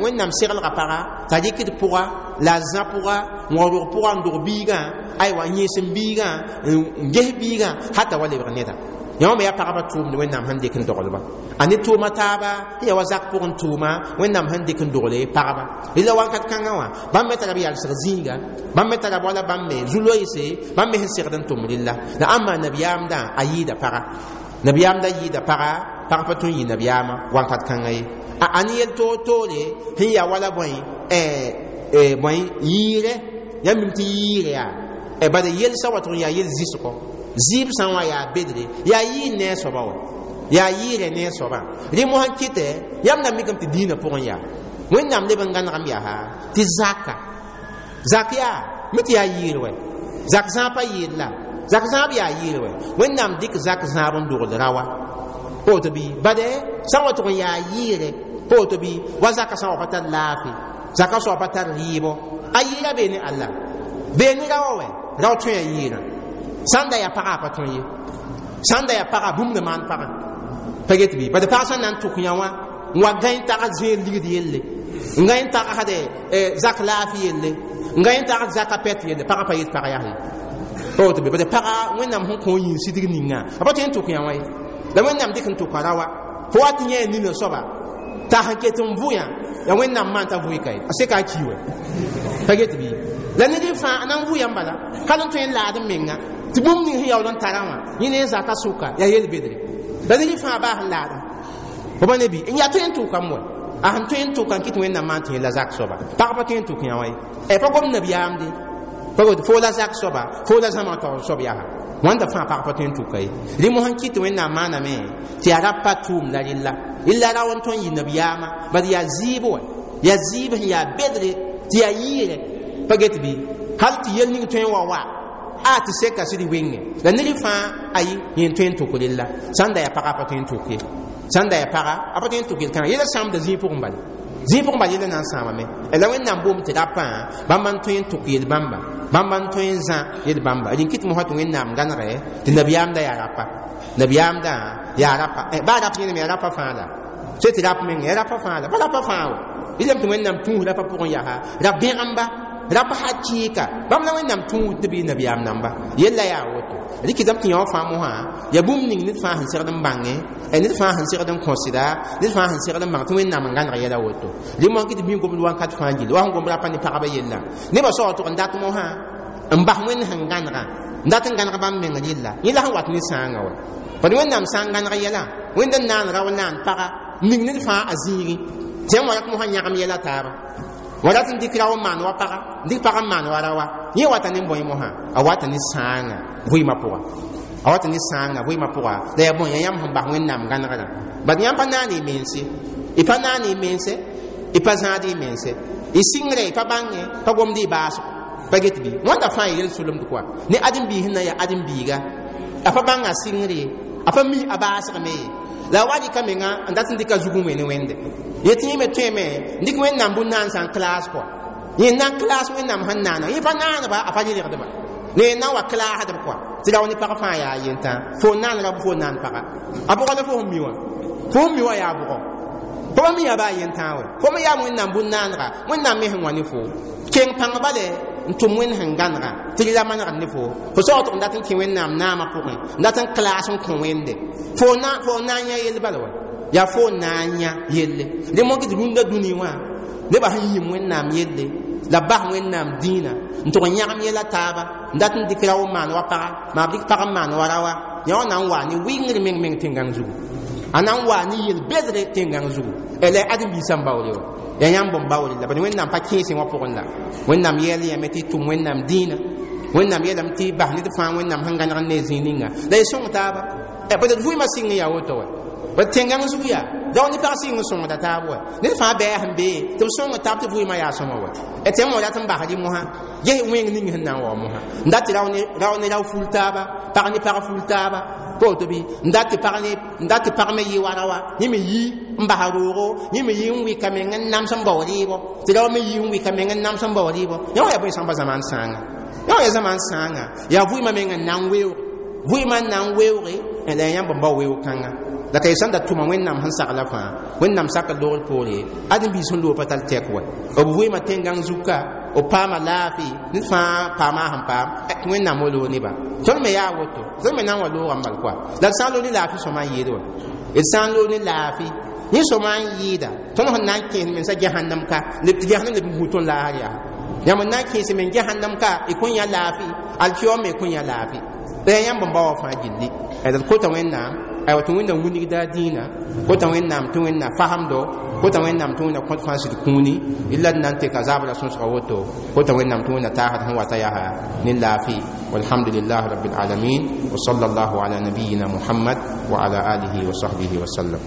Wẽnnaam seglga paga t'a rɩkd pʋga la a zã pʋga n wa rog pʋga n dog biigã aywa n yẽes n biigã n ges biigã hata wa lebg neda yõ me yaa pagba tʋʋmd Wẽnnaam sẽn dɩk n doglba a ne tʋʋma taaba sẽn yaa wa zak pʋgẽ tʋʋma Wẽnnaam sẽn dɩk n dogle pagba rela wakat kãngã wã bãmb me tara b yalsg zĩiga bãmb me tara wala bãmb me zu-loeese bãmb me sẽn segd n tʋm rella la ãmba nabiyaamdã a yɩɩda paga nabiyaamdã yɩɩda paga pag pa tõe n yɩ nabiyaamã wakat kãngã ye a ne yel toor-toore sẽn yaa wala bõe bõe yɩɩrɛ yãmb mim tɩ yɩɩrɛ yaa bala yelsa wa tʋg n yaa yel zɩsgɔ zɩɩb sã n wa yaa bedre yaa yɩɩr ne a soaba wa yaa yɩɩrɛ ne a soabã rẽ mosã kɩtɛ yãmb na mikame tɩ dĩinã pʋgẽ yaa Wẽnnaam leb n gãnegame yaa tɩ zaka zak yaa mi tɩ yaa yɩɩr wɛ zak zãab pa yɩɩr la zak zãab yaa yɩɩr wɛ Wẽnnaam dɩk zak zãab n dogl rawa pa woto bɩ bade sã n wa tʋg n yaa yɩɩrɛ pa woto bɩ wa zaka sã n wa pa tar laafɩ zaka soaba pa tar rɩɩbɔ a yɩɩra bee ne Allah bee ne rawa wɛ rao tõe a yɩɩrã sãn da yaa pagã a pa tõe ye sãn da yaa pagã bũmb na maan pagã pa get bɩ bad pag sẽn na n tʋk yã wã n wa gãe n tagd zẽer ligd yelle n gãe n tagsde zak laafɩ yelle n gãe n tagd zaka pɛt yelle pagã pa yet pag yaa ye pa woto bɩ bad pagã Wẽnnaam sẽn kõ yĩn sidg ninga a pa tõe n tʋk yã wã ye la Wẽnnaam dɩk n tʋka rawa fo wa tɩ yẽ nina soaba t'a sẽn ket n vʋ yã yaa Wẽnnaam maan t'a vʋɩ ka ye a seka a ki wɛ pa get bɩ la ned fãa a na n vʋ yãmb bala ka n tõe n laad n menga tɩ bũmb ning sẽn yaool n tarã wã yẽ ne zaka sʋka yaa yel bedre la ned fãa baa sẽn laadã fo pa ne bɩ n yaa tõe n tʋkame wɛ a sẽn tõe n tʋka n kɩt Wẽnnaam maan tɩ yẽ la zak soaba pag pa tõe n tʋk yã wã ye pa gom nabiyaamde pa fo la zak soaba fo la zãma taoor soab yaa wãnda fãa pag pa tõe n tʋka ye rẽ mosã kɩt Wẽnnaam maaname tɩ yaa rab pa tʋʋmda rella rella ra n tõe n yɩ nabiyaamã bad yaa zɩɩb wɛ yaa zɩɩb sẽn yaa bedre tɩ yaa yɩɩrɛ pa get bɩ hal tɩ yel ning tõe n wa wa a tɩ seka sɩd wenge la ned fãa ayi yẽ tõe n tʋk rella sãn da yaa paga a pa tõe n tʋk ye sãn da yaa paga a pa tõe n tʋk yel-kãngã yɛla sãamda zĩig pʋgẽ bala zĩig pʋgẽ bala yɛla na n sãamame la Wẽnnaam boom tɩ rapã bãmba n tõe n tʋk yel-bãmba bãmba n tõe n zã yel-bãmba rẽn kɩt mosã tɩ Wẽnnaam gãnegɛ tɩ nabiyaamdã yaa rapa nabiyaamdã yaa rapa baa rap yẽnem yaa rapa fãa la so tɩ rap meng yaa rapa fãa la pa rapa fãa wa rɩlame tɩ Wẽnnaam tũus rapa pʋgẽ yaa rap bẽgemba rapa hakɩɩka bãmb la Wẽnnaam tũud tɩ bɩ nabiyaam namba yella yaa woto rɩkɩdame tɩ yã wã fãa mosã yaa bũmb ning ned fãa sẽn segd n bãngẽ ned fãa sẽn segd n kõsda ned fãa sẽn segd n bãng tɩ Wẽnnaam n gãneg yɛla woto rẽ mosã kɩ tɩ bĩm gomd wakat fãa gilli wa sẽn gomd rapa ne pagba yella nebã soab tʋg n dat mosã n bas Wẽnd sẽn gãnega n dat n gãneg bãmb meng rella yẽ la sẽn wat ne sãangã wa bad Wẽnnaam sã n gãneg yɛla Wẽnd n naan rao naan paga ning ned fãa a zĩigẽ tɩ yãmb wa rat mosã yãgem yɛla taaba wa rat n dɩk rao n maan wa paga n dɩk pag n maan wa rawa yẽ wata ne bõe mosã a wata ne sãangã vɩɩmã pʋga a wata ne sãangã vɩɩmã pʋga la yaa bõe yaa yãmb sẽn bas Wẽnnaam gãnegrã bad yãmb pa naan y mense y pa naan y mense y pa zãad y mense y sɩngrɛ y pa bãngẽ pa gomd y baasgo pa get bɩ wãnda fãa y yel-solemd koa ne ãdem-biis sẽn na n yaa ãdem-biiga a pa bãnga sɩngre ye A pa mi a baasgme ye. La wa dɩka menga n dat n dɩka zug n wẽ ne Wẽnde. Yetɩ yẽ me tõeme n dɩk Wẽnnaam bũn-naansã n klaas kɔa. Yẽ na n klaas Wẽnnaam sẽn naana. Yẽ pa naaneba, a pa rɩlgdba. La yẽ na n wa klaasdb kɔa. Tɩ rao ne pag fãa yaa yentã. Fo n naan ra bɩ fo n naan paga. A bʋga la fo sẽn mi wã. Fo sẽn mi wã yaa bʋgɔ. Fo pa mi yaa baa yentã wɛ. Fo me yaa Wẽnnaam bũn-naanega. Wẽnnaam me sẽn wã ne fo. Keng pãng bale n tʋm Wẽnd sẽn gãnega tɩ la manegd ne fo. Fo saootg n dat n kẽ Wẽnnaam naamã pʋgẽ, n dat n klaas n kõ Wẽnde. Fo na n yã yell bala wa. Yaa fo na n yã yelle. Dẽ mogi tɩ rũndã dũni wã nebã sẽn yĩm Wẽnnaam yelle la bas Wẽnnaam dĩinã n tʋg n yãgem yɛla taaba n dat n dɩk rao n maan wa paga, maa b dɩk pag n maan wa raoa. Yã wã na n waa ne wɩngr meng meng tẽn-gãng zugu. A na n waa ne yel-bedre tẽn-gãng zugu. La ãdem-biisã n baoole wa. Yaa yãmb n baoole la bad Wẽnnaam pa kẽesẽ wã pʋgẽ la. Wẽnnaam yɛɛl yãme tɩ y tʋm Wẽnnaam dĩinã. Wẽnnaam yeelame tɩ y bas ned fãa Wẽnnaam sẽn gãneg n ne zĩig ninga. La y sõng taaba. Peut-être vʋɩɩmã sɩng n yaa woto wɛ. Bad tẽn-gãng zug yaa dao ne pag sɩng n sõngda taab wɛ. Ned fãa bɛɛ sẽn bee tɩ b sõng taab tɩ vʋɩɩmã yaa sõma wɛ. Tẽm wã rat n basd mosã ges wẽng ning sẽn na n wa mosã. N dat tɩ rao ne rao ful taaba, pag ne pag ful taaba. Pa woto bɩ n dat tɩ pag me yɩ wa raoa, yẽ me yi n basa roogo, yẽ me yi n wɩka meng n nams n bao rɩɩbɔ, tɩ rao me yi n wɩka meng n nams n bao rɩɩbɔ. Yã wã yaa bõe sãmba zamaan sãanga. Yã wã yaa zamaan sãanga. Yaa vʋɩɩmã meng n na n weoog. Vʋɩɩmã n na n weooge la yaa yãmb n bao weoog kãnga. La ka y sẽn da tʋma Wẽnnaam sẽn sagla fãa, Wẽnnaam sakr loogr poore, ãdem-biis sẽn loog pa tar tɛk wɛ. B vʋɩɩmã tẽn-gãng zuka, b paama laafɩ, ned fãa paama a sẽn paam, tɩ Wẽnnaam wa loog nebã. Tõnd me yaa woto, tõnd me na n wa loogame bal koa. La d sã n loog ne laafɩ sõma n yɩɩd wɛ. D sã n loog ne laafɩ, yẽ sõma n yɩɩda, tõnd sẽn na n kẽes mensã Jahannam ka, tɩ Jahannam leb n hu tõnd laasr yaa. Yãmb n na n kẽes men Jahannam ka, y kõn yã laafɩ, alkiyom me kõn yã laafɩ. La yaa yãmb n bao wã fãa gilli. D kota Wẽnnaam, aywa tɩ Wẽnnaam wilgda a dĩinã, kota Wẽnnaam tɩ Wẽnnaam fasemdo, kota Wẽnnaam tɩ Wẽnnaam kõt fãa sɩd kũuni, illa d na n teka zabra sõsga woto, kota Wẽnnaam tɩ Wẽnnaam taasd sẽn wata yaa ne laafɩ. Walhamdulillahi rabbil alamin wa sallallahu ala nabiyina Muhammad wa ala alihi wa sahbihi wa sallam.